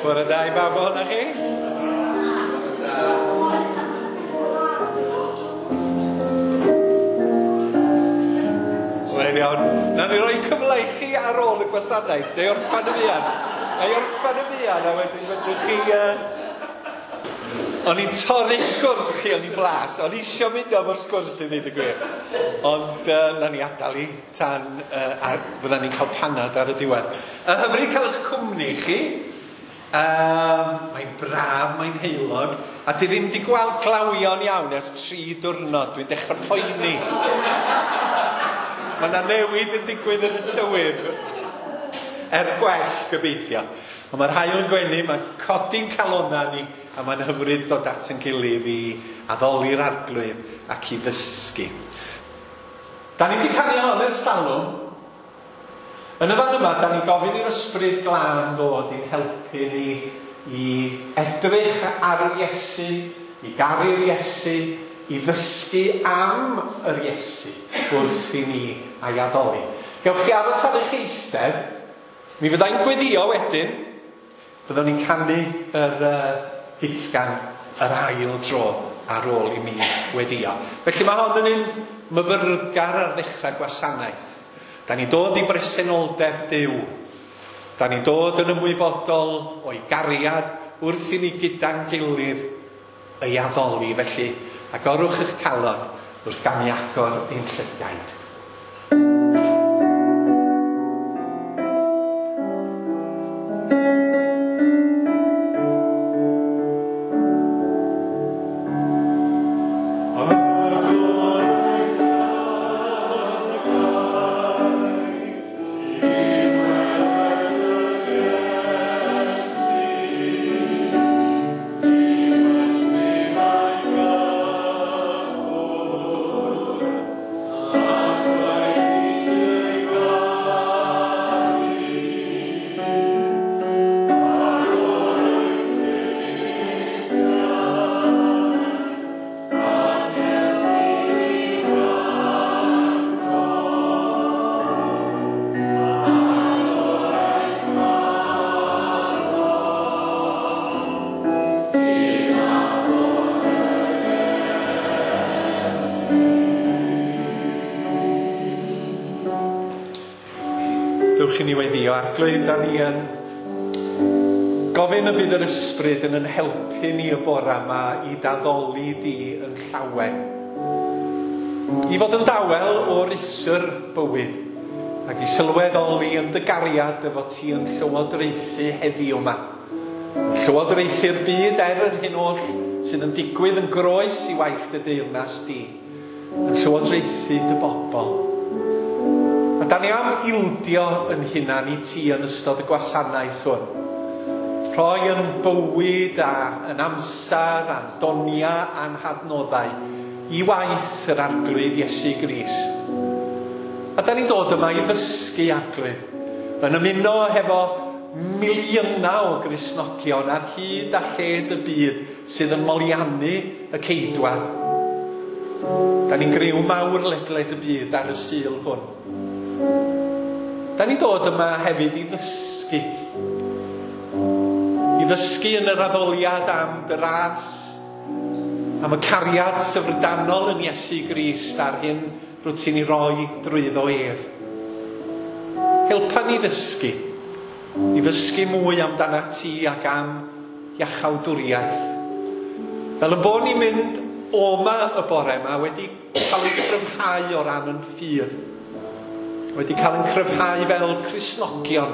Bore da i bawb ohonoch chi. Wel iawn. Nawn ni roi cyfle i chi ar ôl y gwasanaeth, neu orffan y fuan. Neu orffan y fuan, a wedyn fedrwch chi... O'n i'n torri'ch sgwrs chi, o'n i'n blas. O'n i isio mynd efo'r sgwrs i ddweud y gwir. Ond nawn ni adael i tan a fyddan ni'n cael panad ar y diwedd. Hyfryd cael eich cwmni chi. Mae'n braf, mae'n heulog, a dwi ddim wedi gweld glawio'n iawn ers 3 diwrnod. Dwi'n dechrau poeni. Mae yna newid yn digwydd yn y tywydd. Er gwell, gobeithio. Ond mae'r haul yn gwenu, mae'n codi'n calonnau ni, a mae'n hyfryd dod at yn gilydd i addoli'r Arglwydd ac i ddysgu. Da ni wedi canu hon ers talwm. Yn y fan yma, da ni'n gofyn i'r Ysbryd Glân ddod i'n helpu ni i edrych ar yr Iesu, i garu'r Iesu, i ddysgu am yr Iesu wrth i ni a'i addoli. Gewch chi aros ar eich eistedd, mi fyddai'n gweddio wedyn, byddwn ni'n canu yr hitgan yr ail dro ar ôl i mi weddio. Felly mae hon yn un myfyrgar ar ddechrau gwasanaeth. Da ni'n dod i bresenoldeb Duw. Da ni'n dod yn ymwybodol o'i gariad wrth i ni gyda'n gilydd ei addoli. Felly, agorwch eich calon wrth gamu agor ein llygaid. Arglwydd, da ni yn gofyn y bydd yr Ysbryd yn yn helpu ni y bore yma i daddoli di yn llawen. I fod yn dawel o'r isr bywyd ac i sylweddoli yn dy gariad efo ti yn llywodraethu heddiw yma. Yn llywodraethu'r byd er yr hyn oll sydd yn digwydd yn groes i waith dy deyrnas di. Yn llywodraethu dy bobl. A da ni am ildio yn hunan i ti yn ystod y gwasanaeth hwn. Rhoi yn bywyd a yn amser a'n donia a'n hadnoddau i waith yr Arglwydd Iesu Grist. A da ni'n dod yma i ddysgu Arglwydd, yn ymuno hefo miliynau o Gristnogion ar hyd a lled y byd sydd yn moliannu y Ceidwad. Da ni'n griw mawr ledled y byd ar y Sul hwn. Da ni'n dod yma hefyd i ddysgu. I ddysgu yn yr addoliad am dy ras, am y cariad syfrdanol yn Iesu Grist a'r hyn rwyt ti'n ei roi drwyddo ef. Helpa ni ddysgu, i ddysgu mwy amdana ti ac am iachawdwriaeth. Fel y bod ni'n mynd o'ma y bore yma wedi cael ei cryfhau o ran yn ffydd. Wedi cael yn cryfhau fel Cristnogion.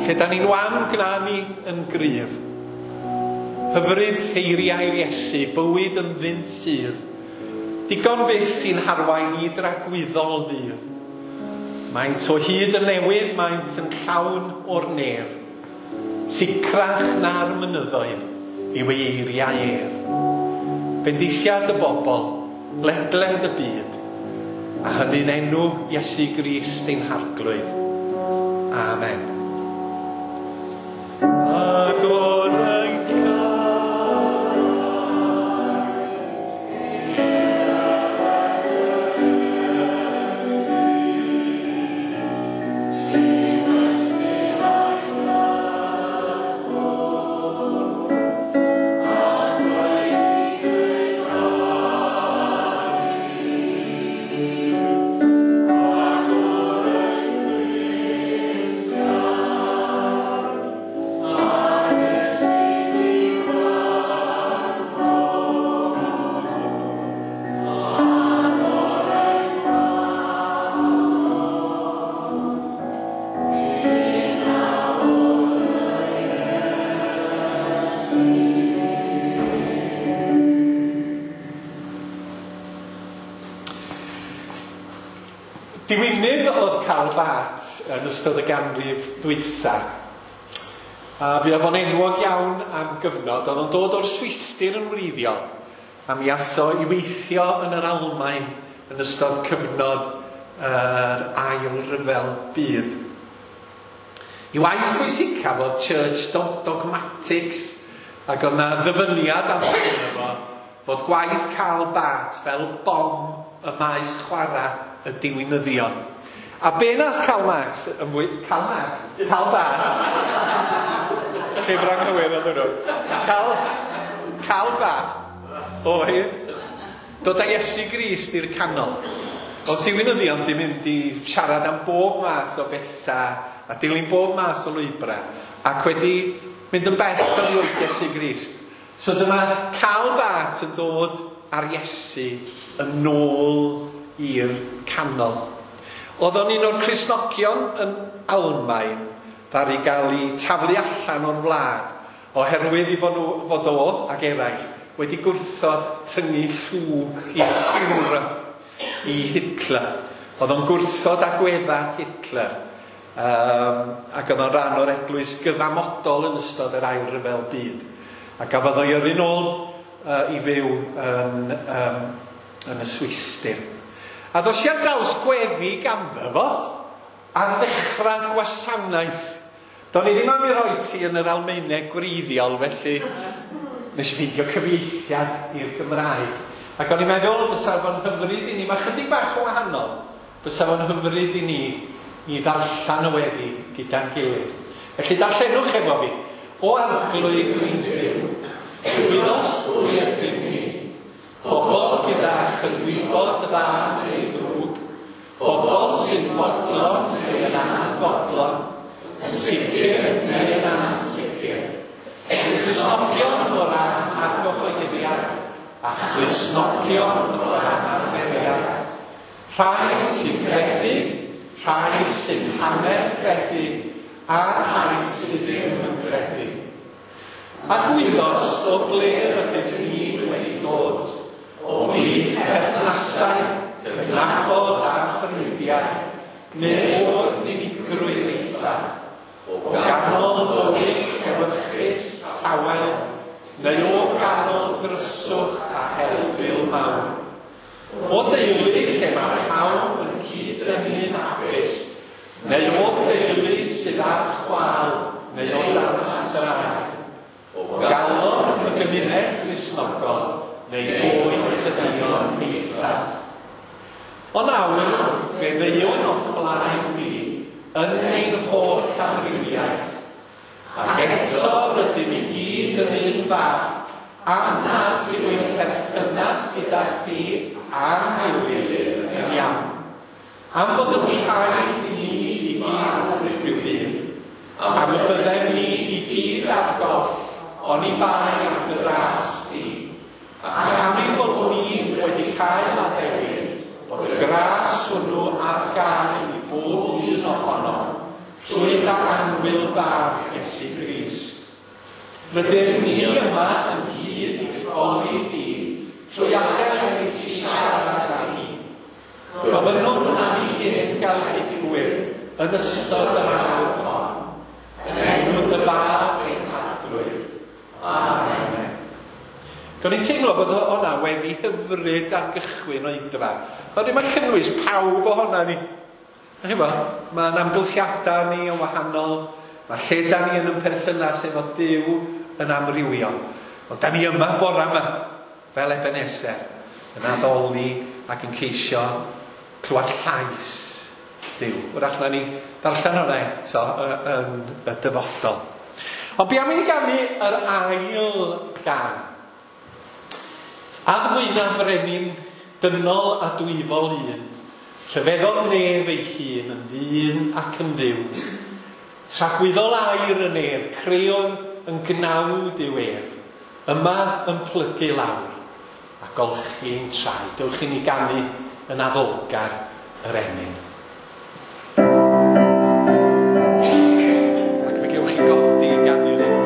Lle da ni'n wan gwna ni yn gryf. Hyfryd eiriau'r Iesu, bywyd ynddynt sydd. Digon byth sy'n harwain i dragwyddol ddydd. Maent o hyd yn newydd, maent yn llawn o'r nef. Sicrach na'r mynyddoedd yw ei eiriau ef. Bendithiad y bobl, ledled y byd, a hynny'n enw Iesu Grist ein Harglwydd. Amen. Agor ein calon i Diwinydd oedd Karl Barth yn ystod y ganrif ddwytha. A fuodd o'n enwog iawn am gyfnod. Oedd o'n dod o'r Swistir yn wreiddiol. A mi ath o i weithio yn yr Almaen yn ystod cyfnod yr Ail Ryfel Byd. I waith pwysicaf oedd Church Dogmatics, ac oedd 'na ddyfyniad amdano fo fod gwaith Karl Barth fel bom y maes chwarae y diwinyddion. A be nath Karl Marx yn fwy... Karl Marx? Karl Barth. Llyfr anghywir oedd hwnnw. Karl, Karl Barth oedd dod â Iesu Grist i'r canol. Oedd diwinyddion di mynd i siarad am bob math o bethau a dilyn bob math o lwybrau ac wedi mynd yn bell oddi wrth Iesu Grist. So dyma Karl Barth yn dod ar Iesu yn ôl i'r canol. Oedd o'n un o'r Cristnogion yn Almaen ddaru gael ei taflu allan o'r wlad oherwydd i fod, nhw, fod o ac eraill wedi gwrthod tynnu llw i'r Führer, i Hitler. Oedd o'n gwrthod agwedda Hitler. Ac oedd o'n rhan o'r eglwys gyfamodol yn ystod yr Ail Ryfel Byd. A gafodd o'i yrru nôl i fyw yn y Swistir. A ddos i ar draws gweddi ganddo fo ar ddechrau'r gwasanaeth. Do'n i ddim am i roi ti yn yr Almaeneg gwreiddiol, felly nes i ffeindio cyfieithiad i'r Gymraeg. Ac o'n i'n meddwl bysa fo'n hyfryd i ni, mae chydig bach o wahanol, bysa fo'n hyfryd i ni i ddarllen y weddi gyda'n gilydd. Felly darllenwch efo fi. O Arglwydd ein Duw, gwyddost pwy ydym ni, pobl gyda chydwybod dda neu ddrwg, pobl sy'n fodlon neu yn anfodlon, yn sicr neu yn ansicr, Cristnogion o ran argyhoeddiad a Christnogion o ran arferiad, rhai sy'n credu, rhai sy'n hanner credu, a rhai sydd ddim yn credu. A gwyddost o ble rydym ni wedi dod, o blith perthnasau, cydnabod a ffrindiau, neu o'r unigrwydd eithaf, o ganol bywyd llewyrchus, tawel, neu o ganol dryswch a helbul mawr. O deulu lle mae pawb yn cyd-dynnu'n hapus, neu o deulu sydd ar chwâl, neu o dan straen. O galon y gymuned Gristnogol, neu o'i chydynion eithaf. O nawr, fe ddeuwn o'th blaen di, yn ein holl amrywiaeth. Ac eto rydym i gyd yr un fath, am nad yw ein perthynas gyda thi a'n gilydd yn iawn. Am fod yn rhaid i ni i gyd rhyw ddydd. Am y byddem ni i gyd ar goll, oni bai am dy ras di. Ac am ein bod ni wedi cael addewid, bod y gras hwnnw ar gael i bob un ohono, trwy dy annwyl fab Iesu Grist. Rydym ni yma ynghyd i'th foli di, trwy adael i ti siarad â ni. Gofynnwn am i hyn gael digwydd yn ystod yr awr hon, yn enw dy fab ein Harglwydd. Amen. Do'n i'n teimlo bod hwnna wedi hyfryd ar gychwyn oedfa. Oherwydd mae'n cynnwys pawb ohona ni. Mae'n amgylchiadau ni yn wahanol, mae lle da ni yn ein perthynas efo Duw yn amrywio. Ond da ni yma bora yma, fel Ebenezer, yn addoli ac yn ceisio clywed llais Duw. Wrach na ni ddarllen hwnna eto yn y dyfodol. Ond be am i ni ganu yr ail gân? Addfwyna frenin dynol a dwyfol un, rhyfeddol nef ei hun yn ddyn ac yn dduw. Tragwyddol air y nef, creon yn gnawd yw ef, yma yn plygu lawr a golchi'n traed. Dewch i ni ganu yn addolgar yr emyn. Ac fe gewch chi godi i ganu'r emyn.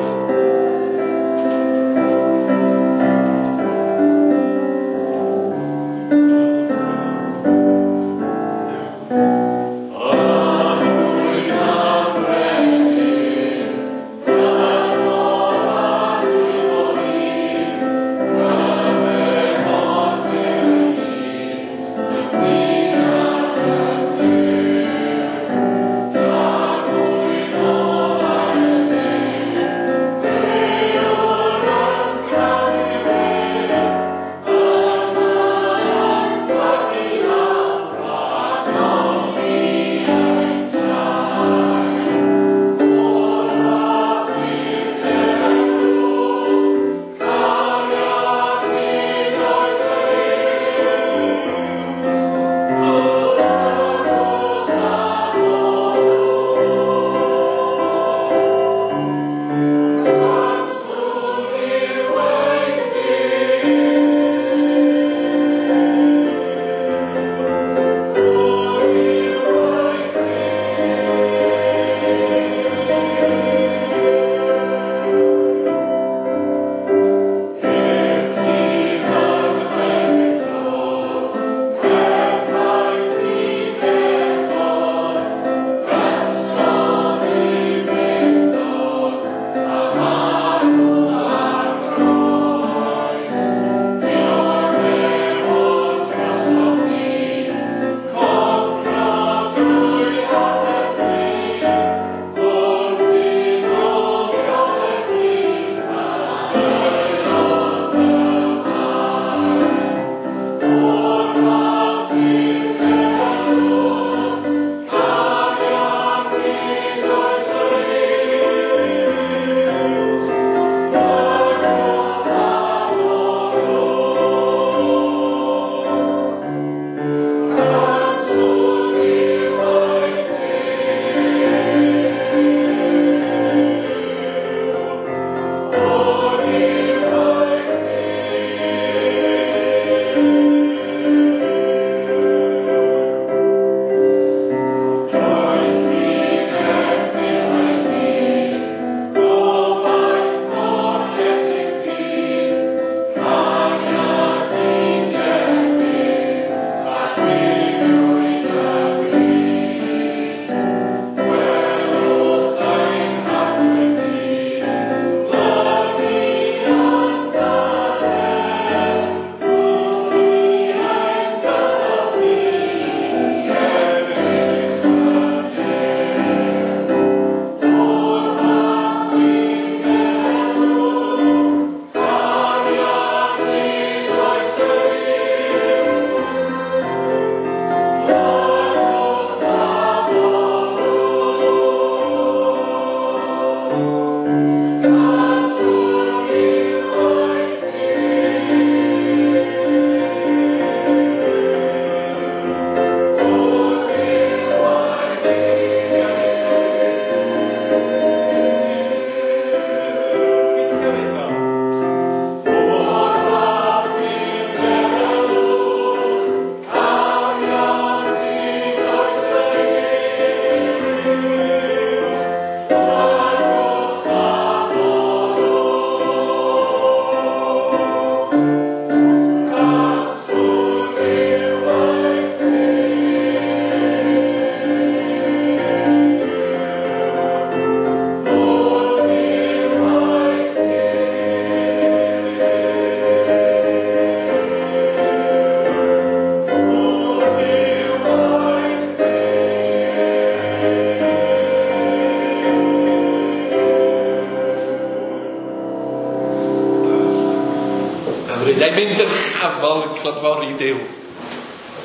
Bydd emyn dyrchafol yn clodfori Duw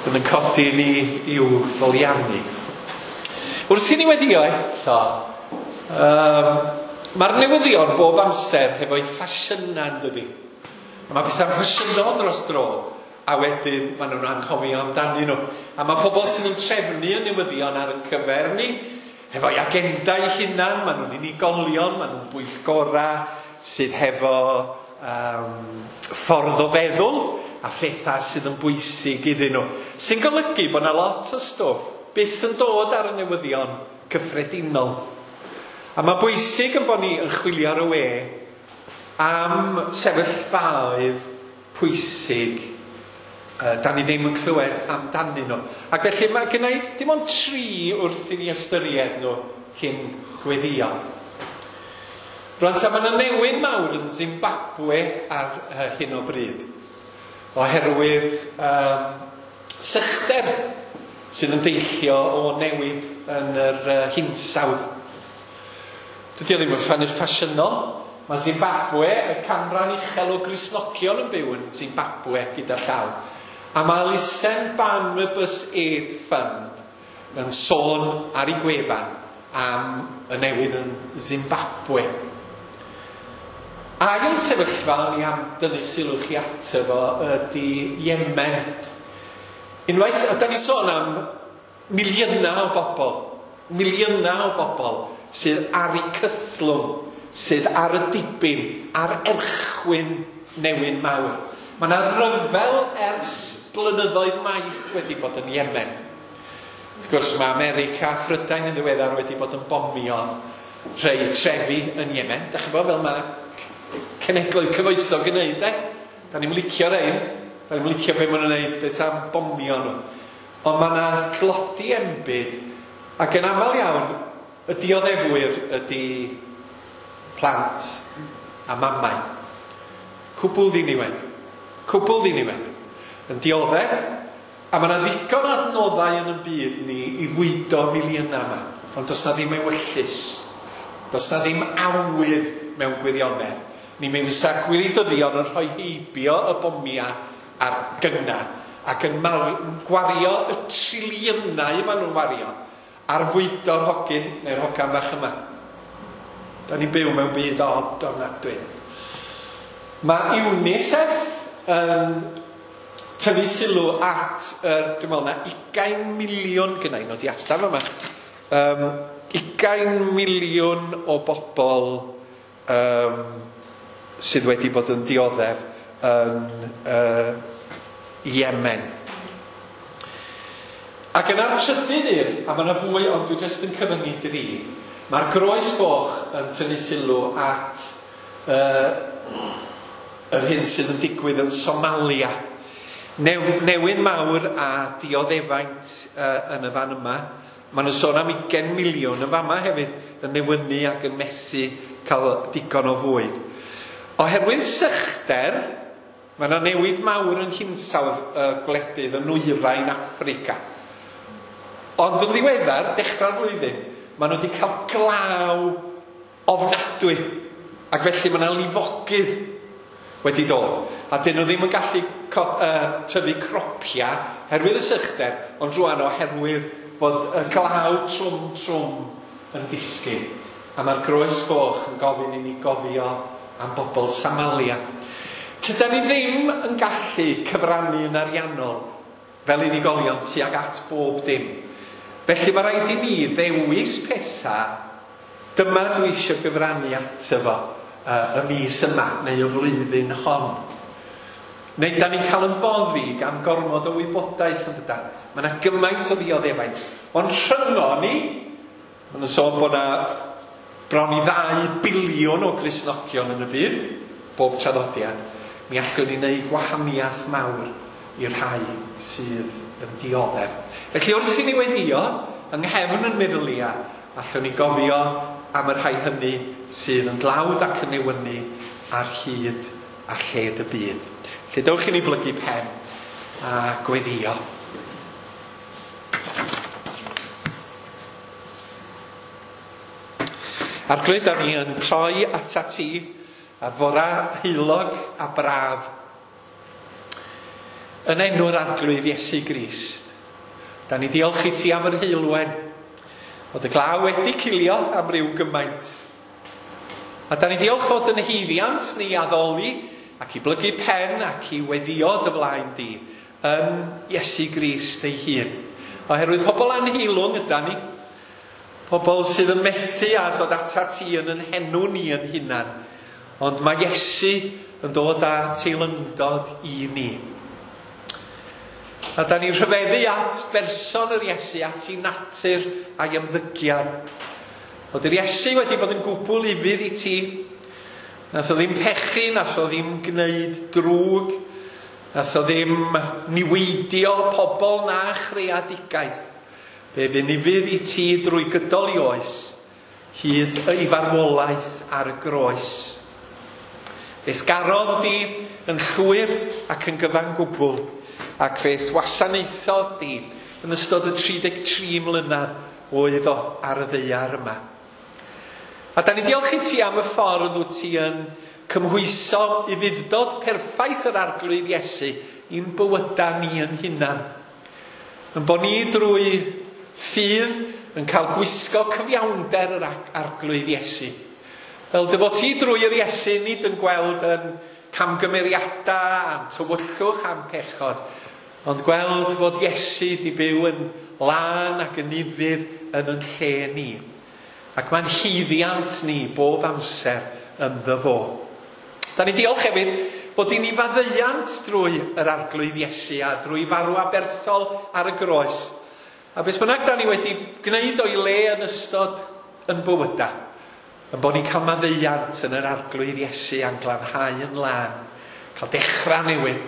yn yn codi ni i'w foliannu. Wrth i ni weddio eto, mae'r newyddion bob amser hefo'i ffasiynau, yn dydi? A mae pethau'n ffasiynol dros dro, a wedyn maen nhw'n anghofio amdanyn nhw. A mae pobl sydd yn trefnu y newyddion ar ein cyfer ni, hefo'i agenda eu hunan, maen nhw'n unigolion, maen nhw'n bwyllgorau sydd hefo ffordd o feddwl a phethau sydd yn bwysig iddyn nhw. Sy'n golygu bod yna lot o stwff byth yn dod ar y newyddion cyffredinol. A mae bwysig yn bod ni yn chwilio ar y we am sefyllfaoedd pwysig da ni ddim yn clywed amdanyn nhw. Ac felly mae gen i dim ond 3 wrth i ni ystyried nhw cyn gweddïo. Rwan ta, mae yna newyn mawr yn Zimbabwe ar hyn o bryd, oherwydd sychder sydd yn deillio o newid yn yr hinsawdd. Dydy o ddim yn ffasiynol. Mae Zimbabwe, y canran uchel o Gristnogion yn byw yn Zimbabwe gyda llaw. A mae elusen Barnabas Aid Fund yn sôn ar ei gwefan am y newid yn Zimbabwe. Ail sefyllfa o'n i am dynnu sylw chi ato fo ydy Yemen. Unwaith, da ni sôn am miliynau o bobl sydd ar eu cythlwng, sydd ar y dibyn, ar erchwyn newyn mawr. Mae yna ryfel ers blynyddoedd maith wedi bod yn Yemen. Wrth gwrs, mae America a Phrydain yn ddiweddar wedi bod yn bomio rhai trefi yn Yemen. Da chi'n bod fel mae cenhedloedd cyfoethog yn neud, e? Da ni'n licio rhain, da ni'n licio be maen nhw'n neud, beth am bomio nhw. Ond mae yna tlodi enbyd, ac yn aml iawn, y dioddefwyr ydy plant a mamau. Cwbl ddiniwed. Cwbl ddiniwed. Yn dioddef, a mae yna ddigon adnoddau yn y byd ni i fwydo miliynau yma. Ond does na ddim ewyllys. Does na ddim awydd mewn gwirionedd. Ni mi fysa gwleidyddion yn rhoi heibio y bomiau a'r gynna ac yn gwario y triliynau maen nhw'n wario ar fwydo'r hogyn neu'r hogan fach yma. Da ni'n byw mewn byd od ofnadwy. Mae UNICEF yn tynnu sylw at, dwi'n meddwl na 20 miliwn gynna i nodiadau yma. 20 miliwn o bobl sydd wedi bod yn dioddef yn Yemen. Ac yna'r trydydd un, a mae yna fwy, ond dwi jyst yn cyfyngu 3, mae'r Groes Goch yn tynnu sylw at yr hyn sydd yn digwydd yn Somalia. Newyn mawr a dioddefaint yn y fan yma. Maen nhw'n sôn am 20 miliwn yn fama hefyd yn newynu ac yn methu cael digon o fwyd. Oherwydd sychder, mae yna newid mawr yn hinsawdd y gwledydd yn nwyrain Affrica. Ond yn ddiweddar, dechrau'r flwyddyn, maen nhw wedi cael glaw ofnadwy. Ac felly mae yna lifogydd wedi dod. A dyn nhw ddim yn gallu tyfu cropia herwydd y sychder, ond rwan oherwydd fod y glaw trwm yn disgyn. A mae'r Groes Goch yn gofyn i ni gofio am bobl Somalia. Tydan ni ddim yn gallu cyfrannu yn ariannol fel unigolion tuag at bob dim. Felly mae rhaid i ni ddewis pethau, dyma dwi eisiau gyfrannu ato fo y mis yma neu y flwyddyn hon. Neu da ni'n cael yn boddi gan gormod o wybodaeth yn dydan. Mae yna gymaint o ddioddefaint. Ond rhyngo ni, maen nhw'n sôn bod yna bron i 2 biliwn o Gristnogion yn y byd, bob traddodiad, mi allwn ni wneud gwahaniaeth mawr i'r rhai sydd yn dioddef. Felly wrth i ni weddio, yng nghefn yn meddylia, allwn ni gofio am y rhai hynny sydd yn dlawd ac yn newynu ar hyd a lled y byd. Felly dewch i ni blygu pen a gweddio. Arglwydd, da ni yn troi atat ti ar fora heulog a braf. Yn enw'r Arglwydd Iesu Grist. Da ni diolch i ti am yr heulwen. Fod y glaw wedi cilio am ryw gymaint. A da ni diolch fod yn haeddiant ni addoli ac i blygu pen ac i weddio dy flaen di yn Iesu Grist ei hun. Oherwydd pobl anheilwng yda ni. Pobl sydd yn methu a dod ata ti yn yn henw ni yn hunan. Ond mae Iesu yn dod â teilyngdod i ni. A da ni'n rhyfeddu at berson yr Iesu, at ei natur a'i ymddygiad. Fod yr Iesu wedi bod yn gwbl ufudd i ti. Nath o ddim pechu, nath o ddim gwneud drwg, nath o ddim niweidio pobl na chreadigaeth. Fe fu'n ufudd i ti drwy gydol i oes, hyd ei farwolaeth ar y groes. Fe'th garodd di yn llwyr ac yn gyfan gwbl, ac fe'th wasanaethodd di yn ystod y 33 mlynedd oedd o ar y ddaear yma. A da ni diolch i ti am y ffordd wyt ti yn cymhwyso ufudd-dod perffaith yr Arglwydd Iesu i'n bywydau ni yn hunan. Yn bod ni drwy ffydd yn cael gwisgo cyfiawnder yr Arglwydd Iesu. Fel dy fod ti drwy yr Iesu nid yn gweld yn camgymeriadau, am tywyllwch, am pechod, ond gweld fod Iesu di byw yn lân ac yn ufudd yn yn lle ni. Ac mae'n haeddiant ni bob amser ynddo fo. Da ni diolch hefyd bod i ni faddeuant drwy yr Arglwydd Iesu a drwy farw aberthol ar y groes. A beth bynnag da ni wedi gwneud o'i le yn ystod yn bywydau, yn bod ni'n cael maddeuant yn yr Arglwydd Iesu a'n glanhau yn lân, cael dechrau newydd,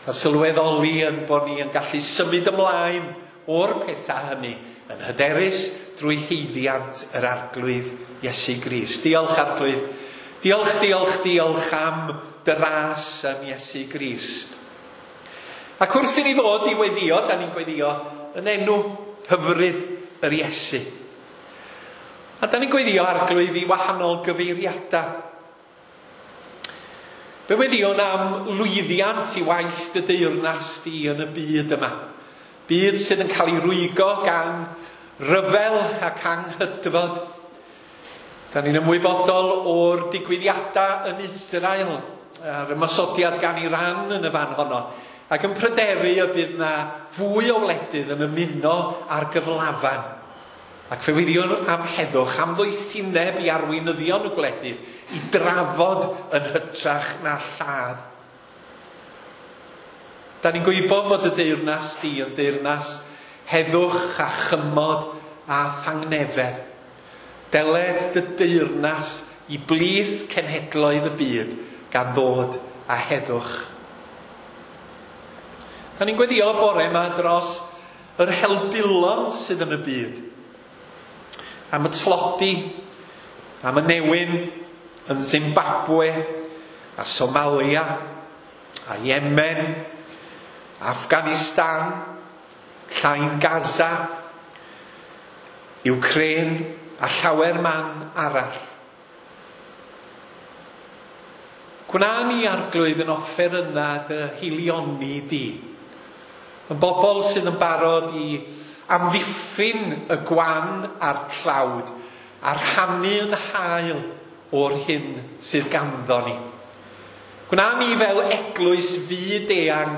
cael sylweddoli yn bod ni yn gallu symud ymlaen o'r pethau hynny yn hyderus drwy haeddiant yr Arglwydd Iesu Grist. Diolch Arglwydd. Diolch, diolch, diolch am dy ras yn Iesu Grist. Ac wrth i ni ddod i weddio, da ni'n gweddio yn enw hyfryd yr Iesu. A da ni'n gweddio Arglwydd i wahanol gyfeiriadau. Fe weddiwn am lwyddiant i waith dy deyrnas di yn y byd yma. Byd sydd yn cael ei rwygo gan ryfel ac anghydfod. Da ni'n ymwybodol o'r digwyddiadau yn Israel a'r ymosodiad gan Iran yn y fan honno, ac yn pryderu y bydd na fwy o wledydd yn ymuno ar gyflafan. Ac fe weddiwn am heddwch, am ddoethineb i arweinyddion y gwledydd i drafod yn hytrach na lladd. Da ni'n gwybod fod y deyrnas di yn deyrnas heddwch a chymod a thangnefedd. Deled dy deyrnas i blith cenhedloedd y byd gan ddod a heddwch. Da ni'n gweddio bore yma dros yr helbulon sydd yn y byd. Am y tlodi, am y newyn yn Zimbabwe, a Somalia, a Yemen, Afghanistan, Llain Gaza, Ukraine a llawer man arall. Gwna ni Arglwydd yn offeryna dy haelioni di. Yn bobl sydd yn barod i amddiffyn y gwan a'r tlawd a rhannu yn hael o'r hyn sydd ganddo ni. Gwna ni fel eglwys fyd eang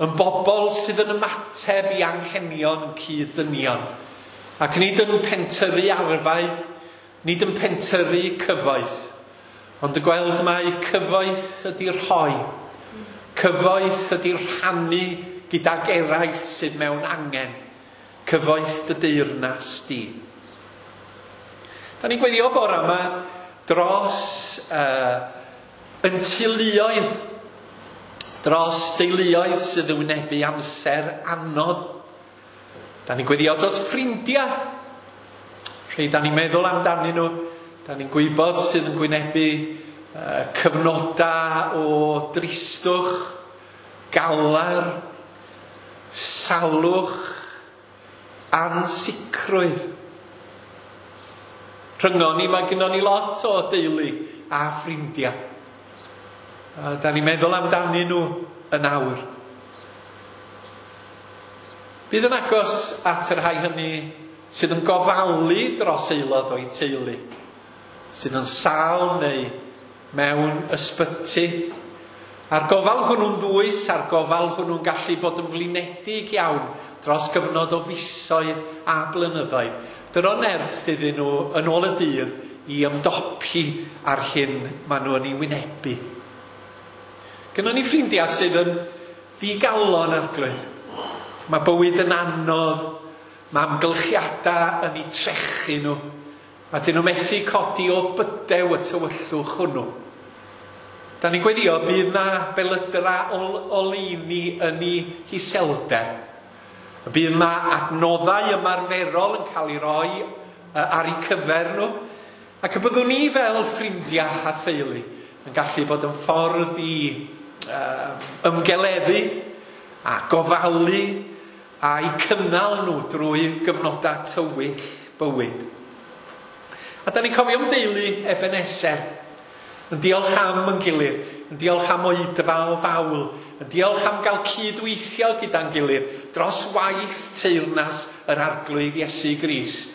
yn bobl sydd yn ymateb i anghenion cyd-ddynion. Ac nid yn pentyrru arfau, nid yn pentyrru cyfoeth, ond y gweld mai cyfoeth ydy'r rhoi, cyfoeth ydy'r rhannu gydag eraill sydd mewn angen, cyfoeth dy deyrnas di. Da ni'n gweddio bore yma dros yn teuluoedd, dros deuluoedd sydd yn wynebu amser anodd. Da ni'n gweddio dros ffrindiau. Rhai da ni'n meddwl amdanyn nhw, da ni'n gwybod sydd yn gwynebu cyfnodau o dristwch, galar, salwch, ansicrwydd. Rhyngon ni, mae gynnon ni lot o deulu a ffrindiau. A da ni'n meddwl amdanyn nhw yn awr. Bydd yn agos at y rhai hynny sydd yn gofalu dros aelod o'i teulu, sydd yn sâl neu mewn ysbyty. A'r gofal hwnnw'n ddwys, a'r gofal hwnnw'n gallu bod yn flinedig iawn dros gyfnod o fisoedd a blynyddoedd. Dyro nerth iddyn nhw yn ôl y dydd i ymdopi ar hyn maen nhw yn ei wynebu. Gynnon ni ffrindiau sydd yn ddigalon, Arglwydd. Mae bywyd yn anodd, mae amgylchiadau yn eu trechu nhw, a dyn nhw methu codi o bydew y tywyllwch hwnnw. Da ni'n gweddio bydd na belydra oleuni yn ei hiselder. Bydd na adnoddau ymarferol yn cael ei roi ar eu cyfer nhw, ac y byddwn ni fel ffrindiau a theulu yn gallu bod yn ffordd i ymgeleddu a gofalu a'u cynnal nhw drwy gyfnodau tywyll bywyd. A da ni'n cofio am deulu Ebenezer, yn diolch am yn gilydd, yn diolch am oedfa o fawl, yn diolch am gael cydweithio gyda'n gilydd dros waith teyrnas yr Arglwydd Iesu Grist.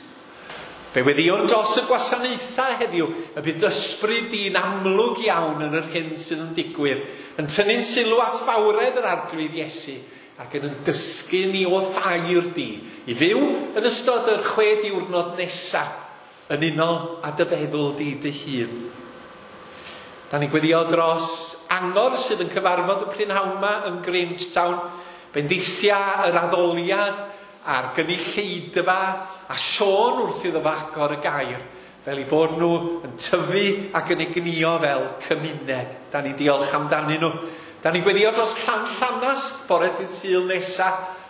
Fe weddïwn dros y gwasanaethau heddiw, y bydd ysbryd di'n amlwg iawn yn yr hyn sydd yn digwydd, yn tynnu'n sylw at fawredd yr Arglwydd Iesu, ac yn dysgu ni o thair di, i fyw yn ystod yr 6 diwrnod nesaf, yn unol â dy feddwl di dy hun. Da ni'n gweddio dros angor sydd yn cyfarfod y prynhawn yma yn Grangetown, bendithia yr addoliad a'r gynulleidfa a Siôn wrth iddo fo agor y gair, fel eu bod nhw yn tyfu ac yn egnïo fel cymuned. Da ni'n diolch amdanyn nhw. Da ni'n gweddio dros Llanllanast bore dydd Sul nesa,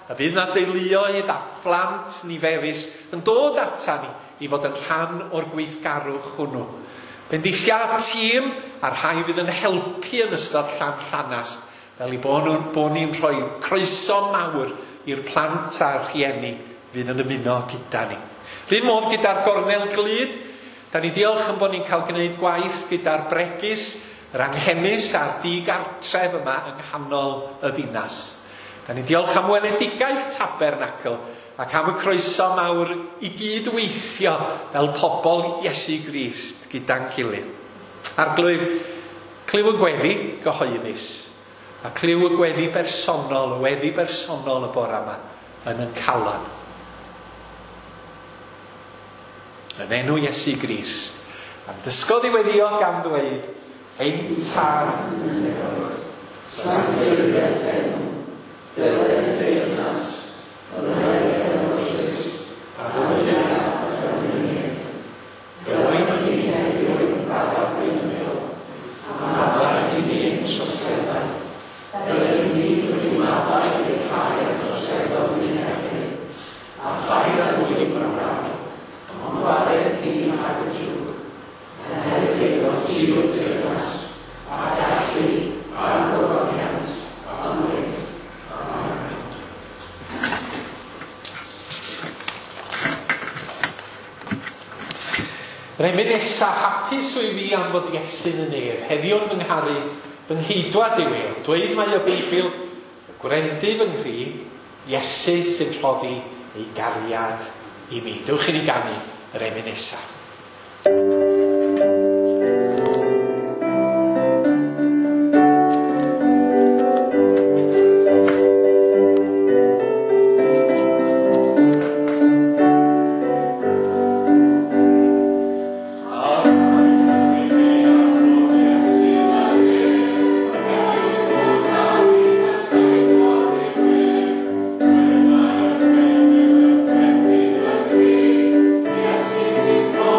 a bydd na deuluoedd a phlant niferus yn dod ata ni i fod yn rhan o'r gweithgarwch hwnnw. Bendithia tîm a'r rhai fydd yn helpu yn ystod Llanllanast, fel i bod ni'n rhoi croeso mawr i'r plant a'r rhieni fydd yn ymuno gyda ni. R'un modd gyda'r gornel glud, da ni diolch yn bod ni'n cael gwneud gwaith gyda'r bregus, yr anghenus a'r digartref yma yng nghanol y ddinas. Da ni diolch am weledigaeth Tabernacl ac am y croeso mawr i gydweithio fel pobl Iesu Grist gyda'n gilydd. Arglwydd, clyw y gweddi gyhoeddus, a clyw y gweddi bersonol, y weddi bersonol y bore yma yn yn calon. Yn enw Iesu Grist, am dysgodd i weddio gan ddweud, Ein Tad, sancteiddied enw, dyled deyrnas, ymwneud ewyllys, a ddymuniad yr unig. Dylai ni heddiw ein bara beunyddiol, a maddau i ni ein troseddau, fel yr ni wedi maddau i'r rhai a droseddodd ni'n erbyn, a phaid â dwyn braf, ond gwared ni rhag y drwg, oherwydd eiddo ti yw'r deyrnas, a'r gallu, a'r gogoniant, am byth. Amen. Yr emyn nesa, hapus wyf fi am fod Iesu'n y nef, heddiw'n fy ngharu, fy ngheidwad yw ef. Dweud mae y Beibl, gwrendu fy nghri, Iesu sy'n rhoddi ei gariad i mi. Dewch i ni ganu yr emyn nesa. Yes,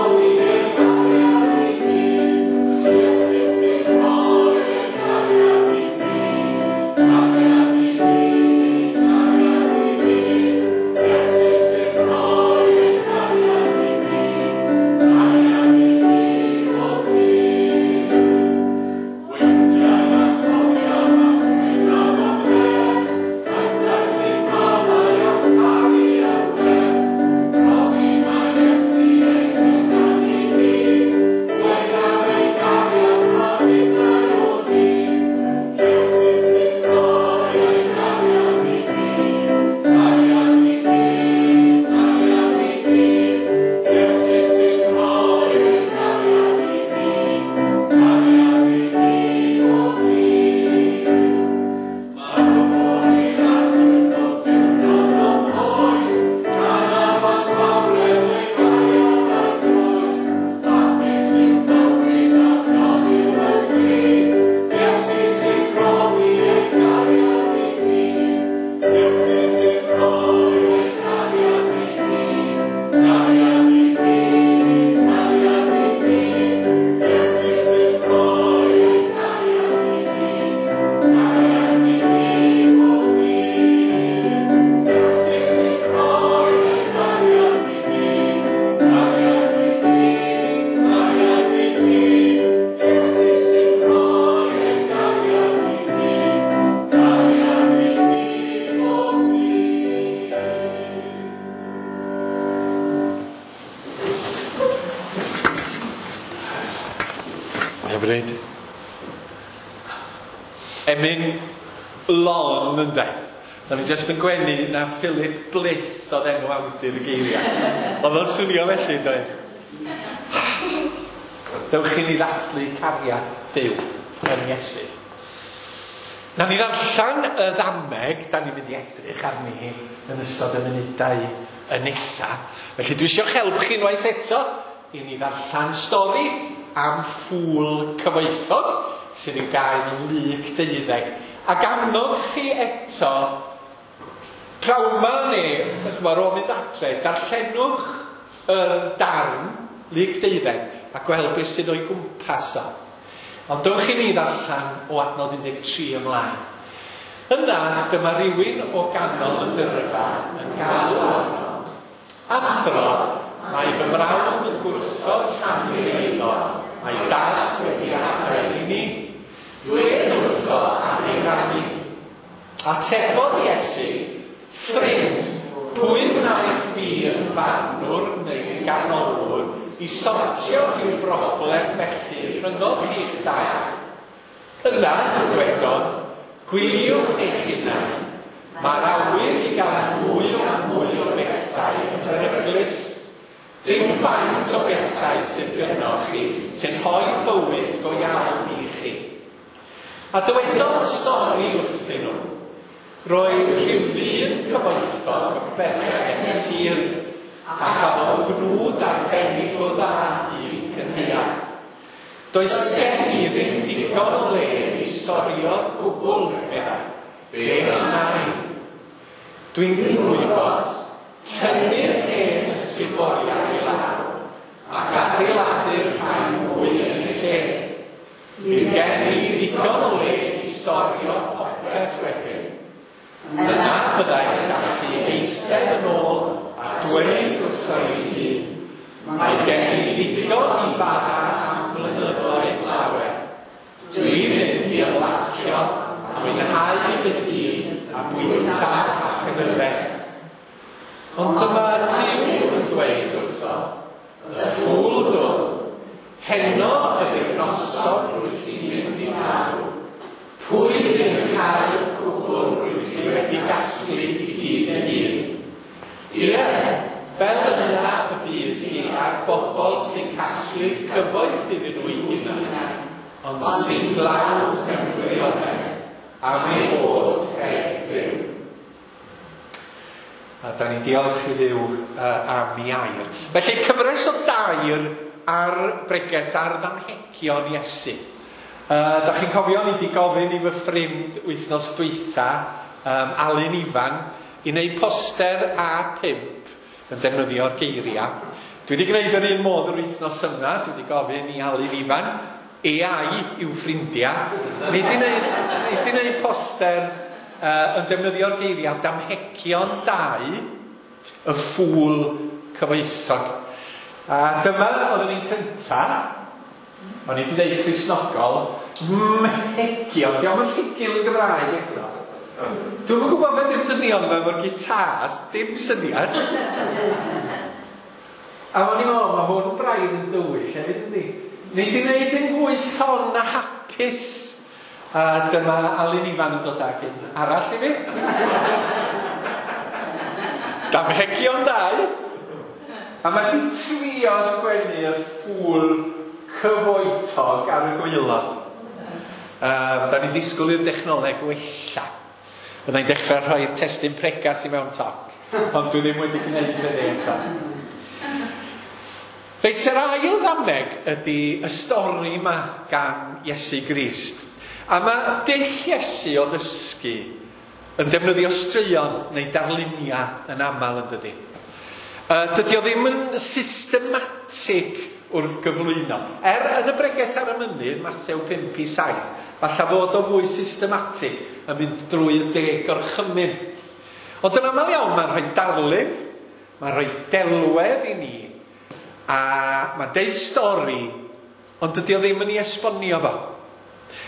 Hyfryd. Emyn lon ynde. O'n i jyst yn gwenu na Philip Bliss oedd enw awdur y geiriau. Oedd o'n swnio felly, doedd? Dewch i ni ddathlu cariad Duw yn Iesu. Na ni ddarllen y ddameg, da ni'n mynd i edrych arni hi yn ystod y munudau y nesa. Felly dwi eisiau help chi unwaith eto i ni ddarllen stori am ffŵl cyfoethog sydd i'w gael yn Luc 12. Ac annog chi eto, prawn ma neu, ar ôl mynd adre, darllenwch y darn Luc 12 a gweld beth sydd o'i gwmpas o. Ond dewch i ni ddarllen o adnod 13 ymlaen. Yna, dyma rywun o ganol y dyrfa yn galw arno. Athro, mae fy mrawd yn gwrthod rhannu'r eiddo. Mae dad wedi adael i ni. Dwed wrtho am ei rannu. Atebodd Iesu, ffrind, pwy wnaeth fi yn farnwr neu ganolwr i sortio rhyw broblem felly rhyngoch chi'ch dau? Yna, dwedodd, gwyliwch eich hunain. Mae'r awyr i gael mwy a mwy o bethau yn beryglus. Dim faint o bethau sydd gynnoch chi sy'n rhoi bywyd go iawn i chi. A dywedodd stori wrthyn nhw. Roedd rhyw ddyn cyfoethog yn berchen tir a chafodd gnwd arbennig o dda i'w cynhaeaf. Does gen i ddim digon o le i storio'r cwbl, meddai. Beth wna i? Dwi'n gwybod, tynnu'r hen ysguboriau i lawr ac adeiladu'r rhai mwy yn eu lle. Bydd gen i ddigon o le i storio popeth wedyn. Yna byddai'n gallu eistedd yn ôl a dweud wrtho ei hun, mae gen i ddigon i bara am blynyddoedd lawer. Dwi'n mynd i ymlacio a mwynhau fy hun a bwyta ac yn yfed. Ond dyma Duw yn dweud wrtho, y ffŵl dwl, heno ydy'r noson rwyt ti'n mynd i farw. Pwy fydd yn cael y cwbl rwyt ti wedi gasglu i ti dy hun? Ie, fel yna y bydd hi a'r bobl sy'n casglu cyfoeth iddyn nhw eu hunain, ond sy'n dlawd mewn gwirionedd am eu bod heb Dduw. A da ni'n diolch i Dduw am ei air. Felly cyfres o dair ar bregeth ar ddamhegion Iesu. Da chi'n cofio, ni wedi gofyn i fy ffrind wythnos dwytha, Alun Ifan, i wneud poster A5 yn defnyddio'r geiriau. Dwi wedi gwneud yr un modd yr wythnos yma, dwi wedi gofyn i Alun Ifan, AI i'w ffrindiau. Ni wedi gwneud poster yn defnyddio'r geiriau damhegion 2, y ffŵl cyfoethog. A dyma oedd yn un cynta, o'n i wedi dweud Cristnogol, mhegion, diolch yn rhugl yn Gymraeg eto. Dwi'm yn gwybod beth yw'r dynion yma efo'r gitars, dim syniad. A o'n i'n meddwl, mae hwn yn braidd yn dywyll hefyd, yndi? Ni wedi gwneud yn fwy llon a hapus. A dyma Alun Ifan yn dod ag un arall i fi. Damhegion 2. A mae di trio sgwennu y ffŵl cyfoethog ar y gwaelod. Da ni'n ddisgwyl i'r dechnoleg wella. Byddai'n dechrau rhoi'r testun pregas i mewn toc, ond dwi ddim wedi gwneud hynny eto. Reit, yr ail ddameg ydy y stori yma gan Iesu Grist. A mae dull Iesu o ddysgu yn defnyddio straeon neu darluniau yn aml yn dydy. Dydy o ddim yn systematig wrth gyflwyno. Yn y bregeth ar y mynydd, Mathew 5:7, falle fod o fwy systematig yn mynd drwy y 10 gorchymyn. Ond yn aml iawn mae'n rhoi darlun, mae'n rhoi delwedd i ni, a mae'n deud stori, ond dydy o ddim yn ei esbonio fo.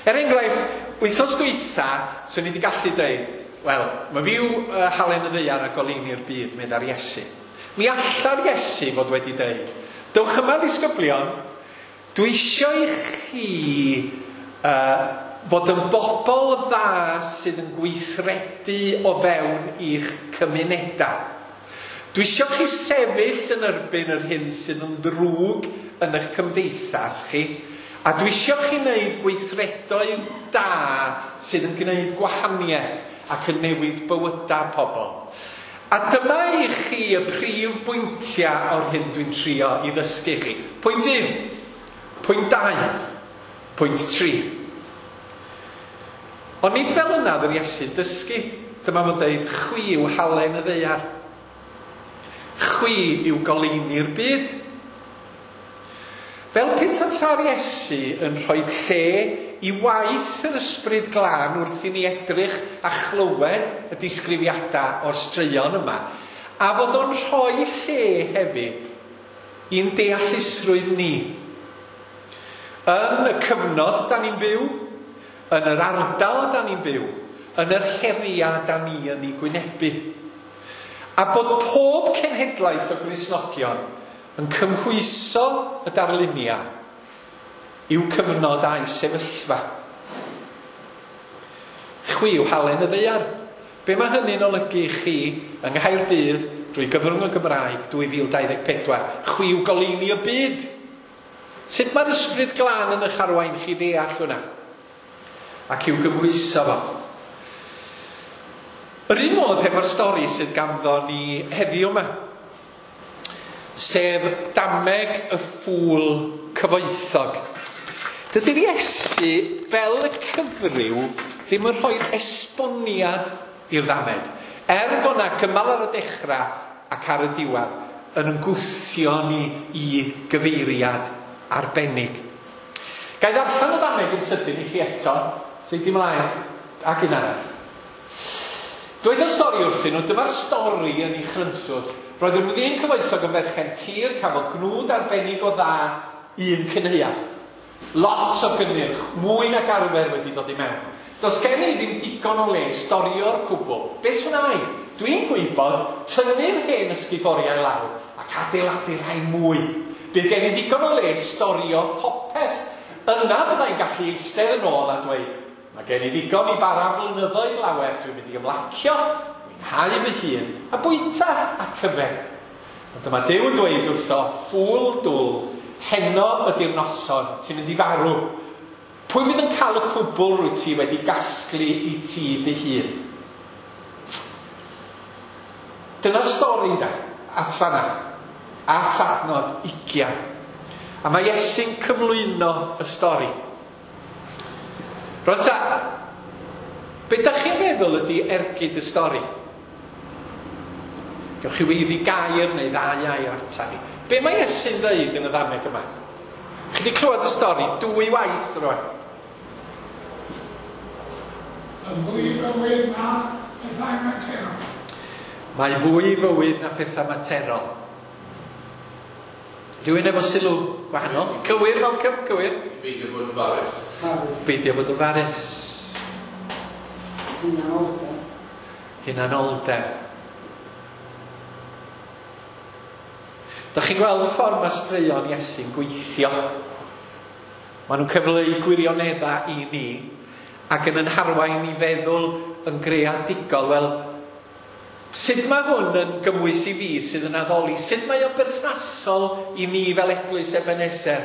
Er enghraifft, wythnos dwytha, swn i wedi gallu dweud, wel, mae fyw halen y ddaear a goleuni'r byd, meddai'r Iesu. Mi alla'r Iesu fod wedi dweud, dewch yma ddisgyblion, dwi eisiau i chi chi fod yn bobl dda sydd yn gweithredu o fewn i'ch cymunedau. Dwi isio chi sefyll yn erbyn yr hyn sydd yn ddrwg yn eich cymdeithas chi, a dwi isio chi wneud gweithredoedd da sydd yn gwneud gwahaniaeth ac yn newid bywydau pobl. A dyma i chi y prif bwyntiau o'r hyn dwi'n trio i ddysgu chi. Pwynt 1, pwynt 2, pwynt 3. Ond nid fel yna oedd yr Iesu'n dysgu. Dyma fo'n dweud, chwi yw halen y ddaear. Chwi yw goleuni'r byd. Fel petasai'r Iesu yn rhoi lle i waith yr Ysbryd Glân wrth i ni edrych a chlywed y disgrifiadau o'r straeon yma, a fod o'n rhoi lle hefyd i'n deallusrwydd ni. Yn y cyfnod da ni'n byw, yn yr ardal da ni'n byw, yn yr heriau da ni yn ei gwynebu. A bod pob cenhedlaeth o Gristnogion yn cymhwyso y darluniau i'w cyfnod a'i sefyllfa. Chwi yw halen y ddaear. Be mae hynny'n olygu i chi yng Nghaerdydd drwy gyfrwng y Gymraeg 2024? Chwi yw goleuni y byd. Sut mae'r Ysbryd Glân yn eich arwain chi ddeall hwnna? Ac i'w gymhwyso fo. Yr un modd hefo'r stori sydd ganddo ni heddiw yma, sef dameg y ffŵl cyfoethog. Dydy'r Iesu, fel y cyfryw, ddim yn rhoi'r esboniad i'r ddamed. Er bod yna gymal ar y dechrau ac ar y diwedd, yn ymgwthio ni i gyfeiriad arbennig. Ga i ddarllen y ddameg yn sydyn i chi eto, sut ymlaen, ac un arall. Dweud y stori wrthyn nhw, dyma'r stori yn ei chrynswth. Roedd yr ddyn cyfoethog yn berchen tir, cafodd gnwd arbennig o dda un cynhaeaf. Lot o gynnyrch, mwy nag arfer wedi dod i mewn. Does gen i ddim digon o le storio'r cwbl. Beth wna i? Dwi'n gwybod tynnu'r hen ysguboriau lawr ac adeiladu rhai mwy. Bydd gen i ddigon o le storio popeth. Yna byddai'n gallu eistedd yn ôl a dweud, mae gen i ddigon i bara flynyddoedd lawer, dwi'n mynd i ymlacio, mwynhau fy hun, a bwyta ac yfed. Ond dyma Duw yn dweud wrtho, ffŵl dwl, heno ydy'r noson, ti'n mynd i farw. Pwy fydd yn cael y cwbl rwyt ti wedi gasglu i ti dy hun? Dyna'r stori da, at fanna, at adnod 20. A mae Iesu'n cyflwyno y stori. Rwan ta, be da chi'n meddwl ydy ergyd y stori? Gewch chi weiddi gair neu ddau air ata ni. Be mae Iesu'n dweud yn y ddameg yma? Chi wedi clywed y stori dwy waith rwan. Y fwy fywyd na pethau materol. Mae fwy fywyd na pethau materol. Rhywun efo sylw gwahanol? Cywir, Malcolm, cywir. Beidio bod yn farus. Beidio bod yn farus. Hunanoldeb. Hunanoldeb. Dach chi'n gweld y ffordd mae straeon Iesu'n gweithio. Maen nhw'n cyfleu gwirioneddau i ni ac yn harwain i feddwl yn greadigol. Wel, sut mae hwn yn gymwys i fi sydd yn addoli? Sut mae o'n berthnasol i ni fel Eglwys Ebeneser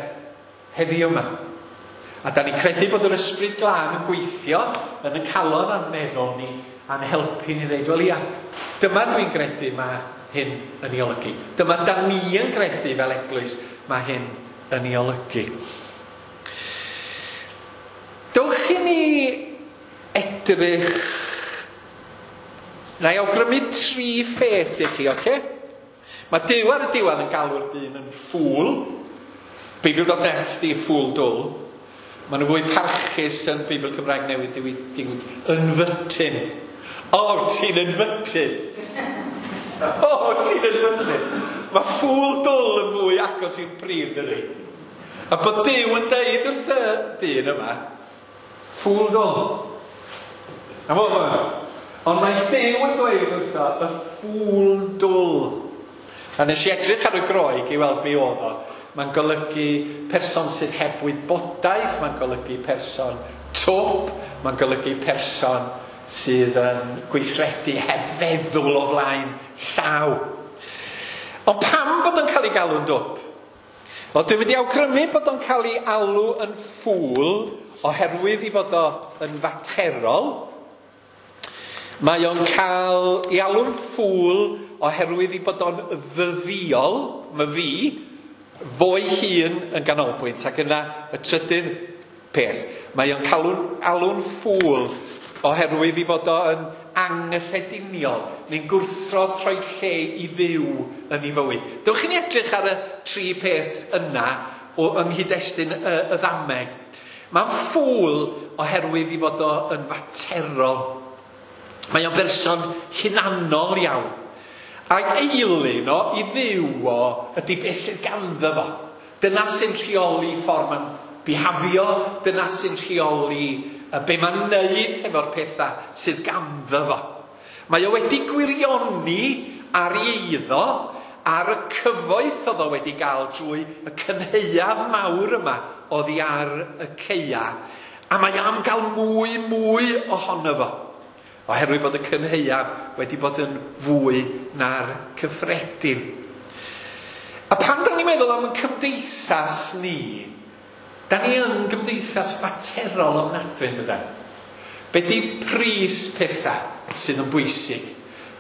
heddiw yma? A da ni'n credu bod yr Ysbryd Glân yn gweithio yn y calon a'n meddwl ni a'n helpu ni ddeud, wel ia, dyma dwi'n credu mae hyn yn ei olygu. Dyma da ni yn credu fel eglwys mae hyn yn ei olygu. Dowch i ni edrych. Na i awgrymu tri pheth i chi, oce? Mae Duw ar y diwedd yn galw'r dyn yn ffŵl. Beibl.net di ffŵl dwl. Maen nhw fwy parchus yn Beibl Cymraeg Newydd diwyd ynfytyn. O, ti'n ynfytyn. O, ti'n ynfytyn. Mae ffŵl dwl yn fwy agos i'r prif, dydy. A bod Duw yn deud wrth y dyn yma, ffŵl dwl. A mo, ond mae Duw yn dweud wrtho, y ffŵl dwl. A nes i edrych ar y Groeg i weld be oedd o. Mae'n golygu person sydd heb wybodaeth, mae'n golygu person twp, mae'n golygu person sydd yn gweithredu heb feddwl o flaen llaw. Ond pam bod o'n cael ei galw'n dwp? Wel, dwi'n mynd i awgrymu bod o'n cael ei alw yn ffŵl oherwydd i fod o yn faterol. Mae o'n cael ei alw'n ffŵl oherwydd i bod o'n ddyddiol, mae fi, fo'i hun yn ganolbwynt. Ac yna y trydydd peth, mae o'n cael alw'n ffŵl oherwydd i fod o yn anghyffrediniol, neu'n gwrthod rhoi lle i Dduw yn ei fywyd. Dewch i ni edrych ar y tri peth yna o yng nghyd-destun y ddameg. Mae'n ffŵl oherwydd i fod o yn faterol. Mae o'n berson hunanol iawn. Ac eilun o i Dduw o ydy beth sydd ganddo fo. Dyna sy'n rheoli ffordd mae'n bihafio, dyna sy'n rheoli be mae'n neud hefo'r pethau sydd ganddo fo. Mae o wedi gwirioni ar ei eiddo, ar y cyfoeth oedd o wedi gael drwy y cynhaeaf mawr yma oddi ar y caea. A mae am gael mwy, mwy ohono fo, oherwydd bod y cynhaeaf wedi bod yn fwy na'r cyffredin. A pan da ni'n meddwl am y cymdeithas ni, da ni yn gymdeithas faterol ofnadwy, yn dydan? Be di pris pethau sydd yn bwysig?